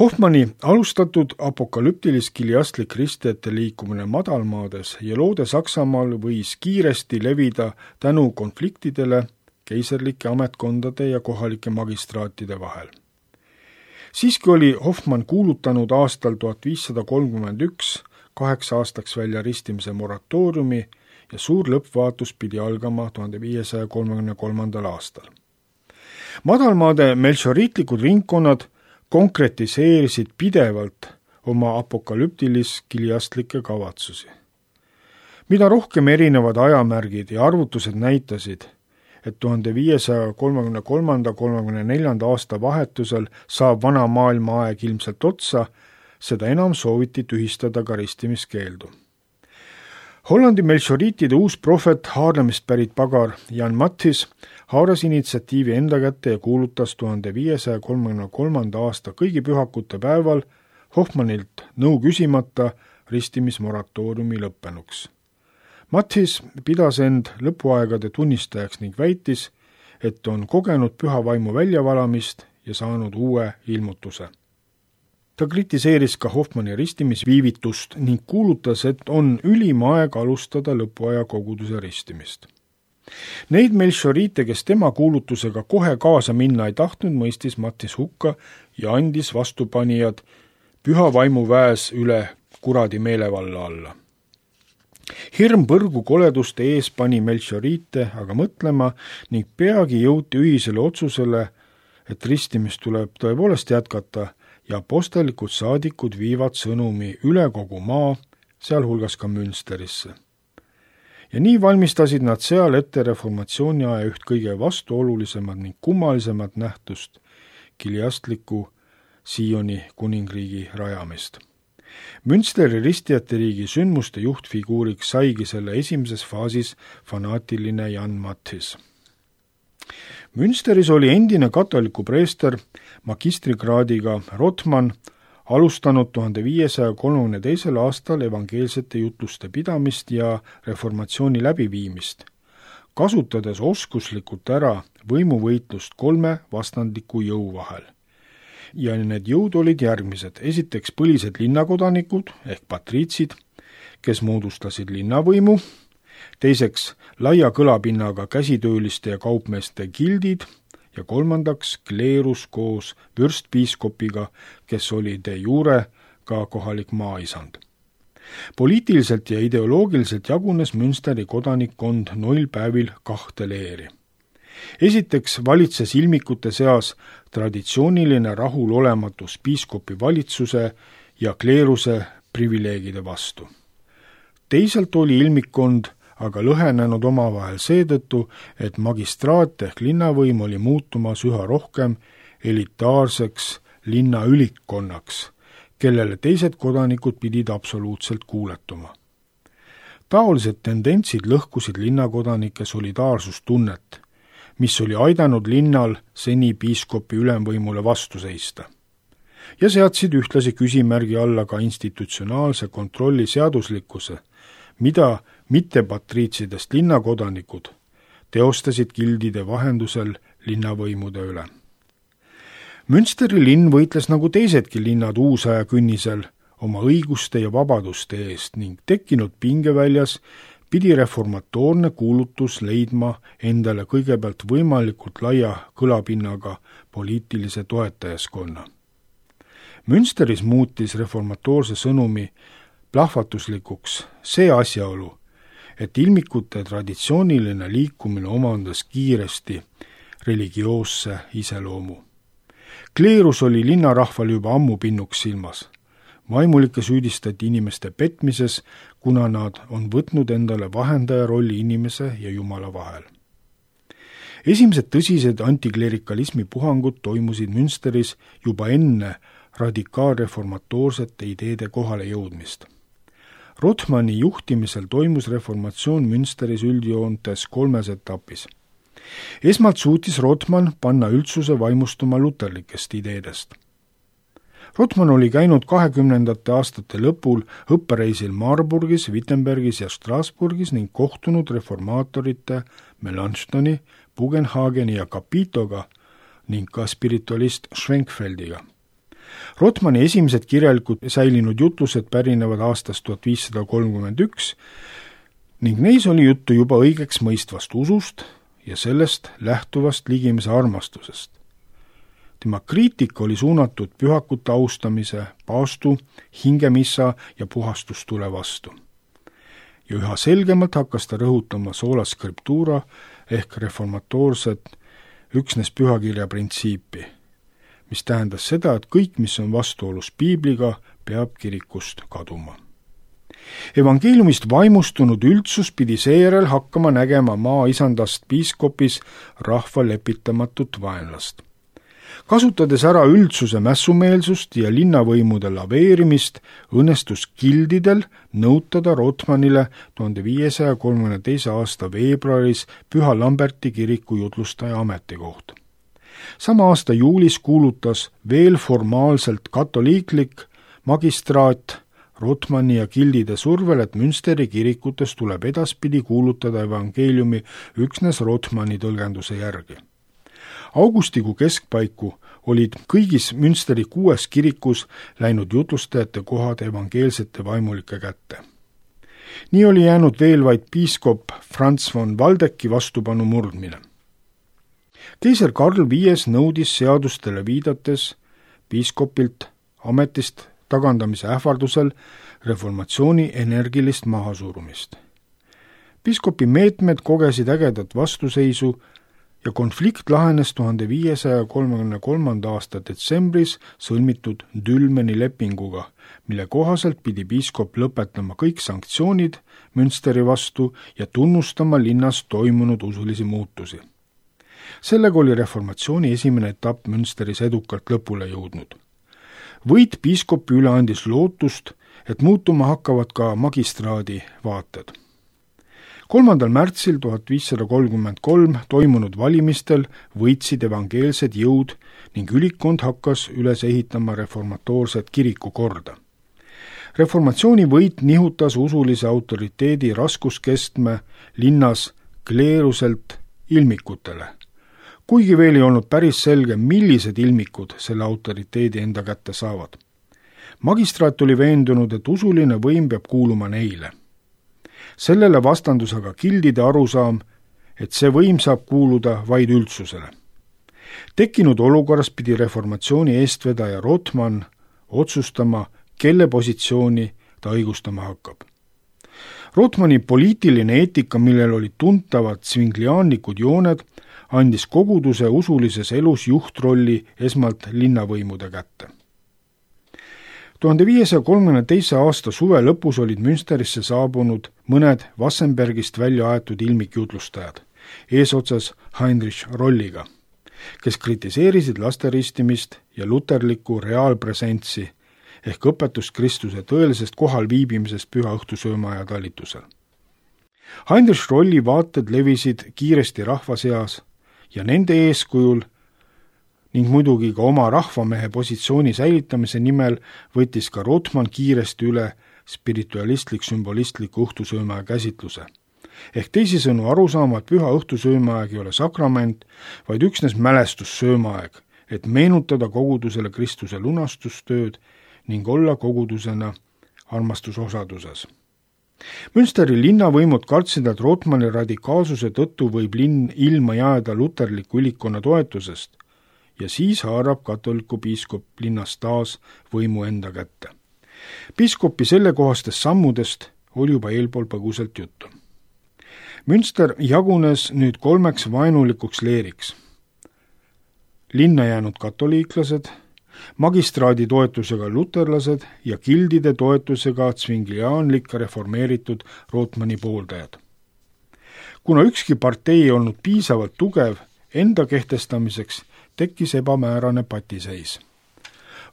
Hoffmanni alustatud apokalüptilis-kiliastlik kristjate liikumine madalmaades ja loode Saksamaal võis kiiresti levida tänu konfliktidele keiserlike ametkondade ja kohalike magistraatide vahel. Siiski oli Hoffmann kuulutanud aastal 1531 8 aastaks välja ristimise moratooriumi ja suur lõppvaatus pidi algama 1533. aastal. Madalmaade melchioriitlikud ringkonnad konkretiseerisid pidevalt oma apokalüptilis-kiliastlikke kavatsusi. Mida rohkem erinevad ajamärgid ja arvutused näitasid, et 1533-34 aasta vahetusel saab vana maailma aeg ilmselt otsa, seda enam sooviti tühistada ka ristimiskeeldu. Hollandi melchioriitide uus prohvet Haarlemist pärit pagar Jan Matthis haaras initsiatiivi enda kätte ja kuulutas 1533. aasta kõigi pühakute päeval Hoffmannilt nõu küsimata ristimismoratooriumi lõppenuks. Matthis pidas end lõpuaegade tunnistajaks ning väitis, et on kogenud püha vaimu väljavalamist ja saanud uue ilmutuse. ta kritiseeris ka Hoffmanni ristimisviivitust ning kuulutas, et on ülim aeg alustada lõpuaja koguduse ristimist. Neid Melchiorite, kes tema kuulutusega kohe kaasa minna ei tahtnud, mõistis Mattis hukka ja andis vastupanijad püha vaimu väes üle kuradi meelevalla alla. Hirm põrgu koleduste ees pani Melchiorite aga mõtlema ning peagi jõuti ühisele otsusele, et ristimist tuleb tõepoolest jätkata ja apostlikud saadikud viivad sõnumi üle kogu maa, sealhulgas ka Münsterisse. Ja nii valmistasid nad seal ette reformatsiooni aja üht kõige vastuolulisemad ning kummalisemad nähtust, kiliastliku Sioni kuningriigi rajamist. Münsteri ristijate riigi sündmuste juhtfiguuriks saigi selle esimeses faasis fanaatiline Jan Matthis. Münsteris oli endine katoliku preester magistrikraadiga Rothman alustanud 1532. aastal evangeelsete jutluste pidamist ja reformatsiooni läbiviimist, kasutades oskuslikult ära võimuvõitlust 3 vastandliku jõu vahel. Ja need jõud olid järgmised. Esiteks põlised linnakodanikud ehk patriitsid, kes moodustasid linnavõimu, teiseks laia kõlapinnaga käsitööliste ja kaupmeeste gildid ja kolmandaks kleerus koos vürstpiiskopiga, kes oli de jure ka kohalik maaisand. Poliitiliselt ja ideoloogiliselt jagunes Münsteri kodanikkond 0 päevil 2 leeri. Esiteks valitses ilmikute seas traditsiooniline rahulolematus piiskopi valitsuse ja kleeruse privileegide vastu. Teisalt oli ilmikkond aga lõhenenud omavahel seetõttu, et magistraat ehk linnavõim oli muutumas üha rohkem elitaarseks linnaülikkonnaks, kellele teised kodanikud pidid absoluutselt kuuletuma. Taolised tendentsid lõhkusid linnakodanike solidaarsustunnet, mis oli aidanud linnal seni piiskopi ülemvõimule vastu seista. Ja seadsid ühtlasi küsimärgi alla ka institutsionaalse kontrolli seaduslikkuse, mida mittepatriitsidest linnakodanikud teostasid gildide vahendusel linnavõimude üle. Münsteri linn võitles nagu teisedki linnad uusaja künnisel oma õiguste ja vabaduste eest ning tekkinud pingeväljas pidi reformatoorne kuulutus leidma endale kõigepealt võimalikult laia kõlapinnaga poliitilise toetajaskonna. Münsteris muutis reformatoorse sõnumi plahvatuslikuks see asjaolu, et ilmikute traditsiooniline liikumine omandas kiiresti religioosse iseloomu. Kleerus oli linnarahval juba ammu pinnuks silmas. Vaimulikke süüdistati inimeste petmises, kuna nad on võtnud endale vahendaja rolli inimese ja Jumala vahel. Esimesed tõsised antiklerikalismi puhangud toimusid Münsteris juba enne radikaalreformatoorsete ideede kohale jõudmist. Rothmanni juhtimisel toimus reformatsioon Münsteris üldjoontes 3 etapis. Esmalt suutis Rothman panna üldsuse vaimustuma luterlikest ideedest. Rothman oli käinud 20. aastate lõpul õppereisil Marburgis, Wittenbergis ja Strasbourgis ning kohtunud reformaatorite Melanchthoni, Bugenhageni ja Capitoga ning ka spiritualist Schwenkfeldiga. Rothmanni esimesed kirjalikud säilinud jutlused pärinevad aastast 1531 ning neis oli juttu juba õigeks mõistvast usust ja sellest lähtuvast ligimese armastusest. Tema kriitika oli suunatud pühakute austamise, paastu, hingemissa ja puhastustule vastu. Ja üha selgemalt hakkas ta rõhutama sola scriptura ehk reformatoorset üksnes pühakirja printsiipi, mis tähendas seda, et kõik, mis on vastuolus piibliga, peab kirikust kaduma. Evangeeliumist vaimustunud üldsus pidi seejärel hakkama nägema maaisandast piiskopis rahva lepitamatut vaenlast. Kasutades ära üldsuse mässumeelsust ja linnavõimude laveerimist, õnnestus gildidel nõutada Rothmannile 1532. aasta veebruaris Püha Lamberti kiriku jutlustaja ametikoht. Sama aasta juulis kuulutas veel formaalselt katoliiklik magistraat Rothmanni ja gildide survel, et Münsteri kirikutes tuleb edaspidi kuulutada evangeeliumi üksnes Rothmanni tõlgenduse järgi. Augustikuu keskpaiku olid kõigis Münsteri 6 kirikus läinud jutlustajate kohad evangeelsete vaimulike kätte. Nii oli jäänud veel vaid piiskop Franz von Waldecki vastupanu murdmine. Keiser Karl V nõudis seadustele viidates piiskopilt ametist tagandamise ähvardusel reformatsiooni energilist mahasurumist. Piiskopi meetmed kogesid ägedat vastuseisu ja konflikt lahenes 1533. aasta detsembris sõlmitud Dülmeni lepinguga, mille kohaselt pidi piiskop lõpetama kõik sanktsioonid Münsteri vastu ja tunnustama linnas toimunud usulisi muutusi. Sellega oli reformatsiooni esimene etapp Münsteris edukalt lõpule jõudnud. Võit piiskopi üle andis lootust, et muutuma hakkavad ka magistraadi vaated. 3. märtsil 1533 toimunud valimistel võitsid evangeelsed jõud ning ülikond hakkas üles ehitama reformatoorset kirikukorda. Reformatsiooni võit nihutas usulise autoriteedi raskuskestme linnas kleeruselt ilmikutele, kuigi veel ei olnud päris selge, millised ilmikud selle autoriteedi enda kätte saavad. Magistraat oli veendunud, et usuline võim peab kuuluma neile. Sellele vastandus aga gildide arusaam, et see võim saab kuuluda vaid üldsusele. Tekkinud olukorras pidi reformatsiooni eestvedaja Rothman otsustama, kelle positsiooni ta õigustama hakkab. Rothmani poliitiline eetika, millel olid tuntavad svingliaanlikud jooned, andis koguduse usulises elus juhtrolli esmalt linnavõimude kätte. 1532. aasta suve lõpus olid Münsterisse saabunud mõned Wassenbergist välja aetud ilmikjutlustajad, eesotsas Heinrich Rolliga, kes kritiseerisid lasteristimist ja luterlikku reaalpresentsi ehk õpetust Kristuse tõelisest kohal viibimisest püha õhtusöömaaja talitusel. Heinrich Rolli vaated levisid kiiresti rahva seas ja nende eeskujul ning muidugi ka oma rahvamehe positsiooni säilitamise nimel võttis ka Rothman kiiresti üle spiritualistlik-sümbolistliku õhtusöömaja käsitluse. Ehk teisisõnu arusaama, et püha õhtusöömaaeg ei ole sakrament, vaid üksnes mälestussöömaaeg, et meenutada kogudusele Kristuse lunastustööd ning olla kogudusena armastusosaduses. Münsteri linnavõimud kartsid, et Rothmani radikaalsuse tõttu võib linn ilma jääda luterliku ülikonna toetusest ja siis haarab katoliku piiskop linnas taas võimu enda kätte. Piiskopi sellekohastest sammudest oli juba eelpool põgusalt juttu. Münster jagunes nüüd 3 vaenulikuks leeriks. Linna jäänud katoliiklased, magistraadi toetusega luterlased ja gildide toetusega svingliaanlik reformeeritud Rothmani pooldajad. Kuna ükski partei ei olnud piisavalt tugev enda kehtestamiseks, tekkis ebamäärane patiseis.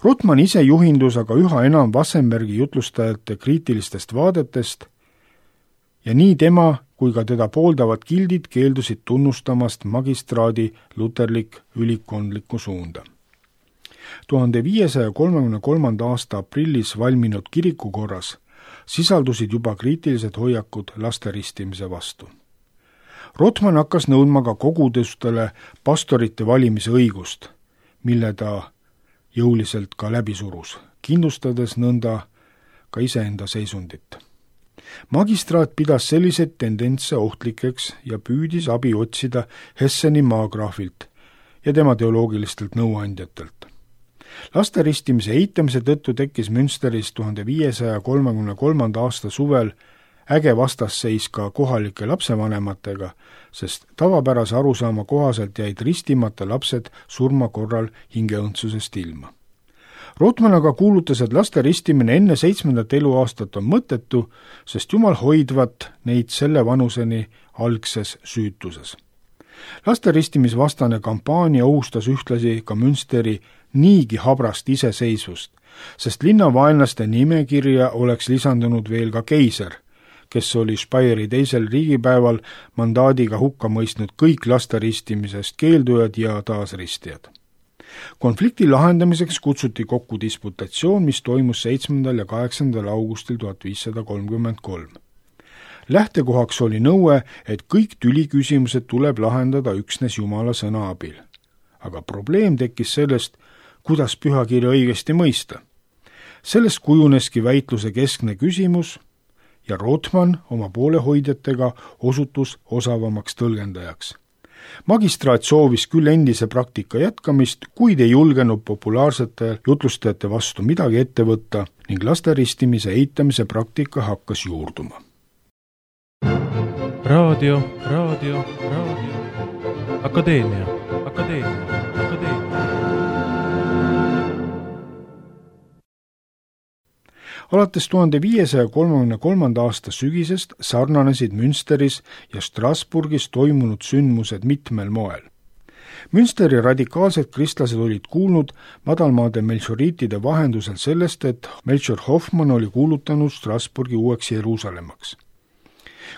Rothman ise juhindus aga üha enam Wassenbergi jutlustajate kriitilistest vaadetest ja nii tema kui ka teda pooldavad gildid keeldusid tunnustamast magistraadi luterlik ülikondlikku suunda. 1533. aasta aprillis valminud kirikukorras sisaldusid juba kriitilised hoiakud lasteristimise vastu. Rothman hakkas nõudma ka kogudustele pastorite valimise õigust, mille ta jõuliselt ka läbi surus, kindlustades nõnda ka iseenda seisundit. Magistraat pidas selliseid tendentse ohtlikeks ja püüdis abi otsida Hesseni maagraafilt ja tema teoloogilistelt nõuandjatelt. Lasteristimise eitamise tõttu tekkis Münsteris 1533. aasta suvel äge vastasseis ka kohalike lapsevanematega, sest tavapärase arusaama kohaselt jäid ristimata lapsed surma korral hingeõndsusest ilma. Rothman aga kuulutas, et laste ristimine enne 7. eluaastat on mõttetu, sest Jumal hoidvat neid selle vanuseni algses süütuses. Lasteristimisvastane kampaania ohustas ühtlasi ka Münsteri niigi habrast iseseisvust, sest linnavaenlaste nimekirja oleks lisandunud veel ka keiser, kes oli Speyri teisel riigipäeval mandaadiga hukka mõistnud kõik lasteristimisest keeldujad ja taasristijad. Konflikti lahendamiseks kutsuti kokku disputatsioon, mis toimus 7. ja 8. augustil 1533. Lähtekohaks oli nõue, et kõik tüliküsimused tuleb lahendada üksnes Jumala sõna abil. aga probleem tekkis sellest, kuidas pühakirja õigesti mõista. Sellest kujuneski väitluse keskne küsimus ja Rothman oma poolehoidjatega osutus osavamaks tõlgendajaks. Magistraat soovis küll endise praktika jätkamist, kuid ei julgenud populaarsete jutlustajate vastu midagi ette võtta ning lasteristimise eitamise praktika hakkas juurduma. Raadio. Akadeemia. Alates 1533. aasta sügisest sarnanesid Münsteris ja Strasbourgis toimunud sündmused mitmel moel. Münsteri radikaalsed kristlased olid kuulnud madalmaade melchioriitide vahendusel sellest, et Melchior Hoffmann oli kuulutanud Strasbourgi uueks Jeruusalemmaks.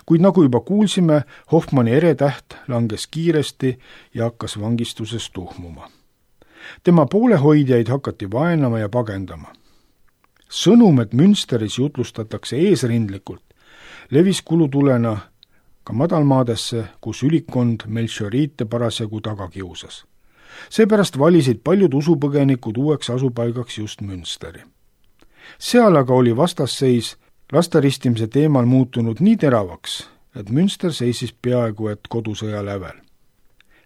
Kuid nagu juba kuulsime, Hoffmanni eretäht langes kiiresti ja hakkas vangistuses tuhmuma. Tema poolehoidjaid hakati vaenama ja pagendama. Sõnum, et Münsteris jutlustatakse eesrindlikult, levis kulutulena ka madalmaadesse, kus ülikond melchioriite parasjagu taga kiusas. Seepärast valisid paljud usupõgenikud uueks asupaigaks just Münsteri. Seal aga oli vastasseis lasteristimise teemal muutunud nii teravaks, et Münster seisis peaaegu et kodusõja lävel.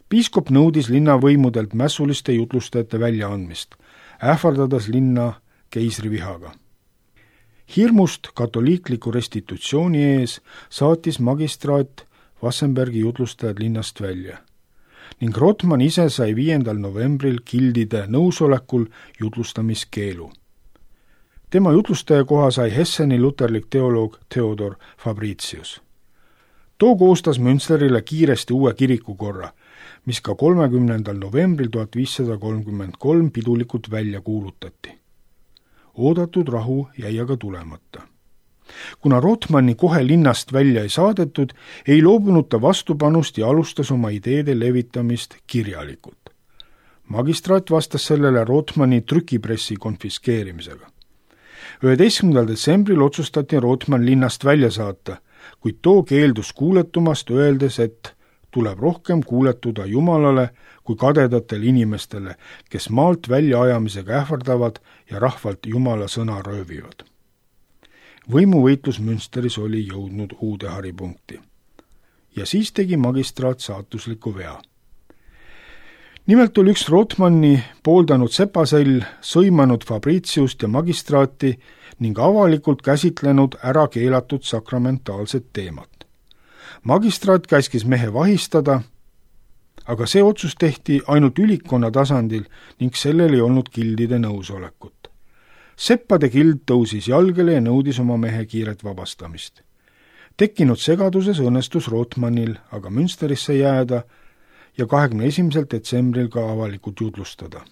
Piiskop nõudis linnavõimudelt mässuliste jutlustajate väljaandmist, ähvardades linna keisrivihaga. Hirmust katoliikliku restitutsiooni ees saatis magistraat Wassenbergi jutlustajad linnast välja ning Rothman ise sai 5. novembril gildide nõusolekul jutlustamiskeelu. Tema jutlustaja koha sai Hesseni luterlik teoloog Theodor Fabricius. Too koostas Münsterile kiiresti uue kirikukorra, mis ka 30. novembril 1533 pidulikult välja kuulutati. Oodatud rahu jäi aga tulemata. Kuna Rothmanni kohe linnast välja ei saadetud, ei loobunud ta vastupanust ja alustas oma ideede levitamist kirjalikult. Magistraat vastas sellele Rothmanni trükipressi konfiskeerimisega. 11. detsembril otsustati Rothmann linnast välja saata, kuid too keeldus kuuletumast, öeldes, et tuleb rohkem kuuletuda Jumalale kui kadedatele inimestele, kes maalt välja ajamisega ähvardavad ja rahvalt Jumala sõna röövivad. Võimuvõitlus Münsteris oli jõudnud uude haripunkti. Ja siis tegi magistraat saatusliku vea. Nimelt oli üks Rothmanni pooldanud sepasell sõimanud Fabriciust ja magistraati ning avalikult käsitlenud ära keelatud sakramentaalset teemat. Magistraat käskis mehe vahistada, aga see otsus tehti ainult ülikonna tasandil ning sellel ei olnud gildide nõusolekut. Seppade gild tõusis jalgele ja nõudis oma mehe kiiret vabastamist. Tekkinud segaduses õnnestus Rothmannil aga Münsterisse jääda ja 21. detsembril ka avalikult jutlustada.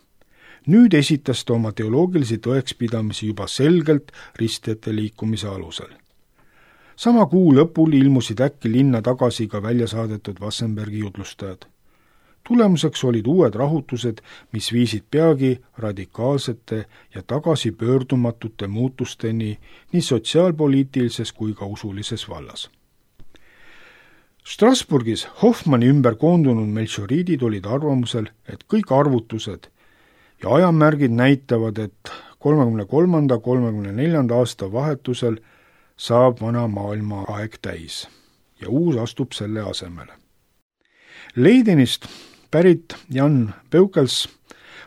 Nüüd esitas ta oma teoloogilisi tõekspidamisi juba selgelt ristjate liikumise alusel. Sama kuu lõpul ilmusid äkki linna tagasi ka välja saadetud Wassenbergi jutlustajad. Tulemuseks olid uued rahutused, mis viisid peagi radikaalsete ja tagasipöördumatute muutusteni nii sotsiaalpoliitilises kui ka usulises vallas. Strasbourgis Hoffmanni ümber koondunud melchioriidid olid arvamusel, et kõik arvutused ja ajamärgid näitavad, et 33.–34. aasta vahetusel saab vana maailma aeg täis ja uus astub selle asemele. Leidenist pärit Jan Peukels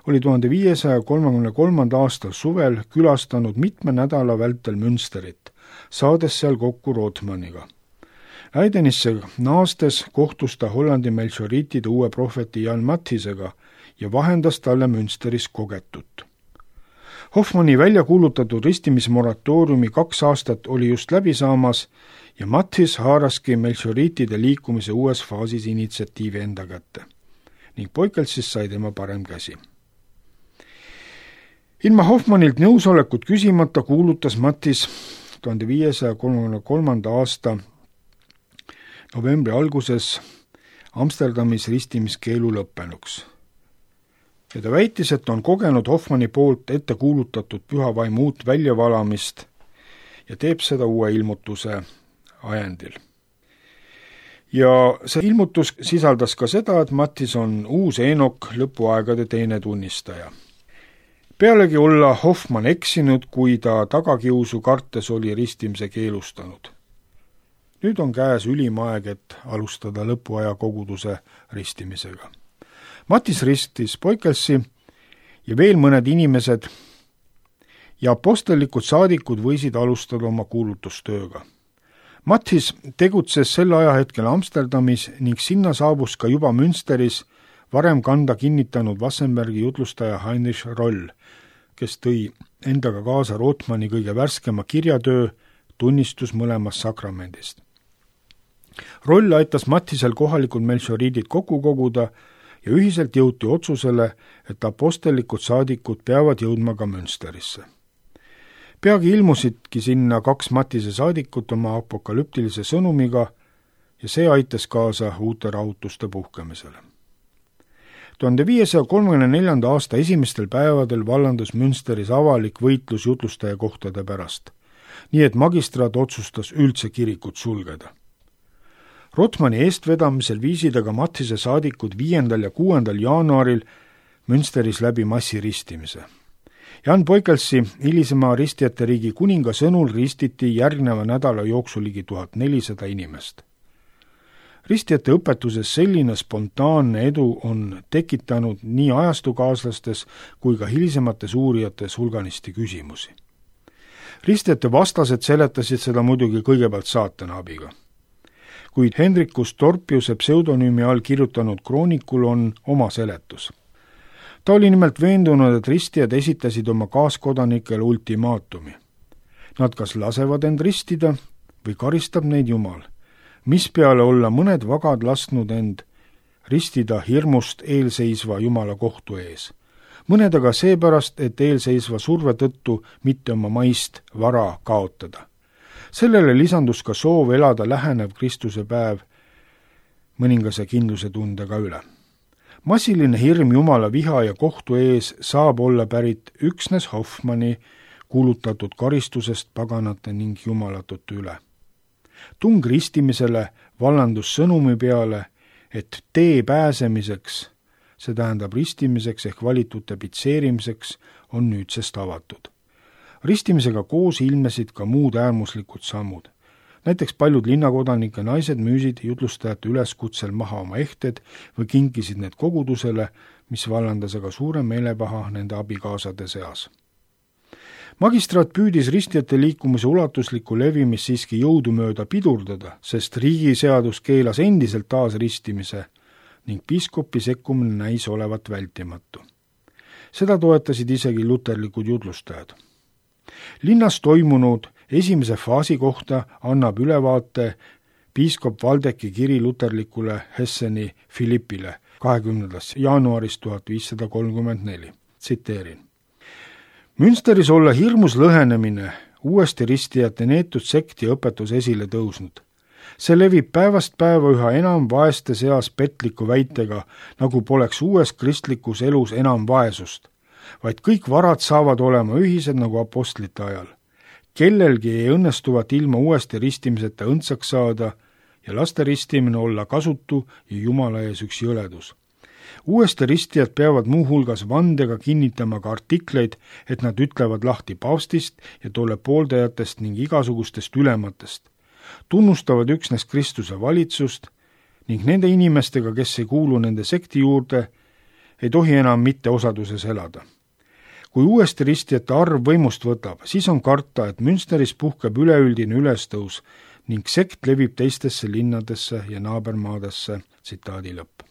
oli 1533. aastal suvel külastanud mitme nädala vältel Münsterit, saades seal kokku Rothmanniga. Leidenisse naastes kohtus ta Hollandi melchioriitide uue prohveti Jan Mathisega ja vahendas talle Münsteris kogetut. Hoffmanni välja kuulutatud ristimismoratooriumi 2 aastat oli just läbi saamas ja Mathis haaraski melchioriitide liikumise uues faasis initsiatiivi enda kätte ning Poikelsist sai tema parem käsi. Ilma Hoffmannilt nõusolekut küsimata kuulutas Mathis 1533. aasta novembri alguses Amsterdamis ristimiskeelu lõppenuks. Ja ta väitis, et on kogenud Hoffmanni poolt ette kuulutatud pühavaimu uut väljavalamist ja teeb seda uue ilmutuse ajendil. ja see ilmutus sisaldas ka seda, et Mattis on uus Eenok, lõpuaegade teine tunnistaja. Pealegi olla Hoffmann eksinud, kui ta tagakiusu kartes oli ristimise keelustanud. Nüüd on käes ülim aeg, et alustada lõpuaja koguduse ristimisega. Mattis ristis Poikelsi ja veel mõned inimesed ja apostellikud saadikud võisid alustada oma kuulutustööga. Mattis tegutses sel ajahetkel Amsterdamis ning sinna saabus ka juba Münsteris varem kanda kinnitanud Wassenbergi jutlustaja Heinrich Roll, kes tõi endaga kaasa Rothmanni kõige värskema kirjatöö tunnistus mõlemast sakramendist. Roll aitas Mattisel kohalikud melchioriidid kokku koguda ja ühiselt jõuti otsusele, et apostellikud saadikud peavad jõudma ka Münsterisse. Peagi ilmusidki sinna 2 Mattise saadikut oma apokalüptilise sõnumiga ja see aitas kaasa uute rahutuste puhkemisele. 1534. aasta esimestel päevadel vallandus Münsteris avalik võitlus jutlustaja kohtade pärast, nii et magistraat otsustas üldse kirikut sulgeda. Rothmanni eestvedamisel viisid aga Mattise saadikud 5. ja 6. jaanuaril Münsteris läbi massiristimise. Jan Poikelsi, hilisema ristijate riigi kuninga sõnul ristiti järgneva nädala jooksul ligi 1400 inimest. Ristijate õpetuses selline spontaanne edu on tekitanud nii ajastukaaslastes kui ka hilisemates uurijates hulganisti küsimusi. Ristijate vastased seletasid seda muidugi kõigepealt saatana abiga. Kuid Hendrikus Torpiuse pseudonüümi all kirjutanud kroonikul on oma seletus. Ta oli nimelt veendunud, et ristijad esitasid oma kaaskodanikele ultimaatumi. Nad kas lasevad end ristida või karistab neid Jumal, mispeale olla mõned vagad lasknud end ristida hirmust eelseisva Jumala kohtu ees. Mõned aga seepärast, et eelseisva surve tõttu mitte oma maist vara kaotada. Sellele lisandus ka soov elada lähenev Kristuse päev mõningase kindluse tundega üle. Massiline hirm Jumala viha ja kohtu ees saab olla pärit üksnes Hoffmanni kuulutatud karistusest paganate ning jumalatute üle. Tung ristimisele vallandus sõnumi peale, et tee pääsemiseks, see tähendab ristimiseks ehk valitute pitseerimiseks, on nüüdsest avatud. Ristimisega koos ilmesid ka muud äärmuslikud sammud. Näiteks paljud linnakodanike naised müüsid jutlustajate üleskutsel maha oma ehted või kinkisid need kogudusele, mis vallandas aga suure meelepaha nende abikaasade seas. Magistraat püüdis ristijate liikumise ulatuslikku levimist siiski jõudumööda pidurdada, sest riigiseadus keelas endiselt taas ristimise ning piiskopi sekkumine näis olevat vältimatu. Seda toetasid isegi luterlikud jutlustajad. Linnas toimunud esimese faasi kohta annab ülevaate piiskop Valdeki kiri luterlikule Hesseni Philippile 20. jaanuarist 1534. Tsiteerin. Münsteris olla hirmus lõhenemine, uuesti ristijate neetud sekti õpetus esile tõusnud. See levib päevast päeva üha enam vaeste seas petliku väitega, nagu poleks uues kristlikus elus enam vaesust, vaid kõik varad saavad olema ühised nagu apostlite ajal. Kellelgi ei õnnestuvat ilma uuesti ristimiseta õndsaks saada ja laste ristimine olla kasutu ja Jumala ees üks jõledus. Uuesti ristijad peavad muuhulgas vandega kinnitama ka artikleid, et nad ütlevad lahti paavstist ja tolle pooldajatest ning igasugustest ülematest, tunnustavad üksnes Kristuse valitsust ning nende inimestega, kes ei kuulu nende sekti juurde, ei tohi enam mitte osaduses elada. Kui uuesti ristijate arv võimust võtab, siis on karta, et Münsteris puhkeb üleüldine ülestõus ning sekt levib teistesse linnadesse ja naabermaadesse. Tsitaadi lõpp.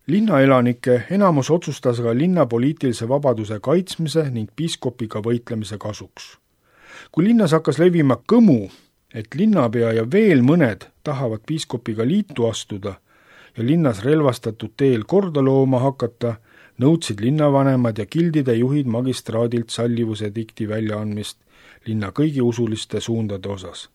Linnaelanike enamus otsustas aga linna poliitilise vabaduse kaitsmise ning piiskopiga võitlemise kasuks. Kui linnas hakkas levima kõmu, et linnapea ja veel mõned tahavad piiskopiga liitu astuda ja linnas relvastatud teel korda looma hakata, nõudsid linnavanemad ja gildide juhid magistraadilt sallivuse dikti väljaandmist linna kõigi usuliste suundade osas.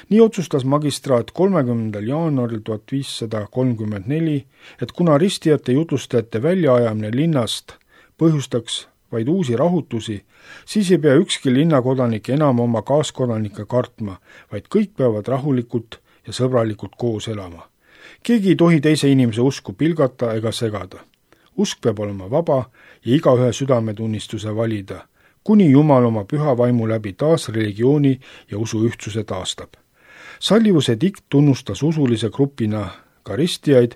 Nii otsustas magistraat 30. jaanuaril 1534, et kuna ristijate jutlustajate väljaajamine linnast põhjustaks vaid uusi rahutusi, siis ei pea ükski linnakodanik enam oma kaaskodanikke kartma, vaid kõik peavad rahulikult ja sõbralikult koos elama. Keegi ei tohi teise inimese usku pilgata ega segada. Usk peab olema vaba ja igaühe südametunnistuse valida, kuni Jumal oma püha vaimu läbi taas religiooni ja usu ühtsuse taastab. Sallivuse dikt tunnustas usulise grupina karistiaid,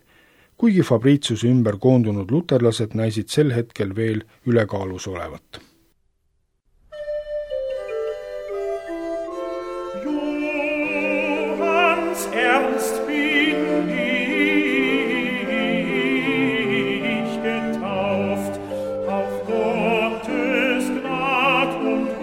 kuigi Fabritiuse ümber koondunud luterlased näisid sel hetkel veel ülekaalus olevat. Johans ernst bin ich getauft auf Gottes Gnad und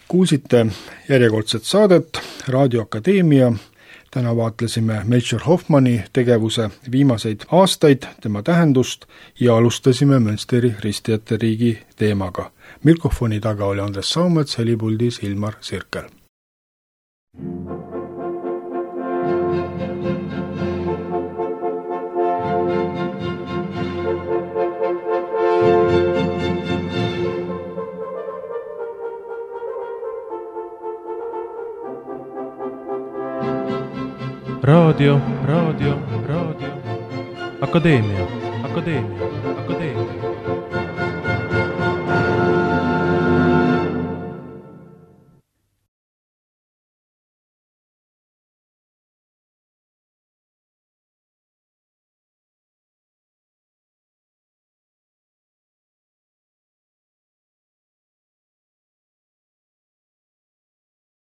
Kuulsite järjekordset saadet Raadio Akadeemia. Täna vaatlesime Melchior Hoffmanni tegevuse viimaseid aastaid, tema tähendust ja alustasime Münsteri ristijate riigi teemaga. Mikrofoni taga oli Andres Saumets, helipuldis Ilmar Sirkel. Raadio Akadeemia. Akadeemia.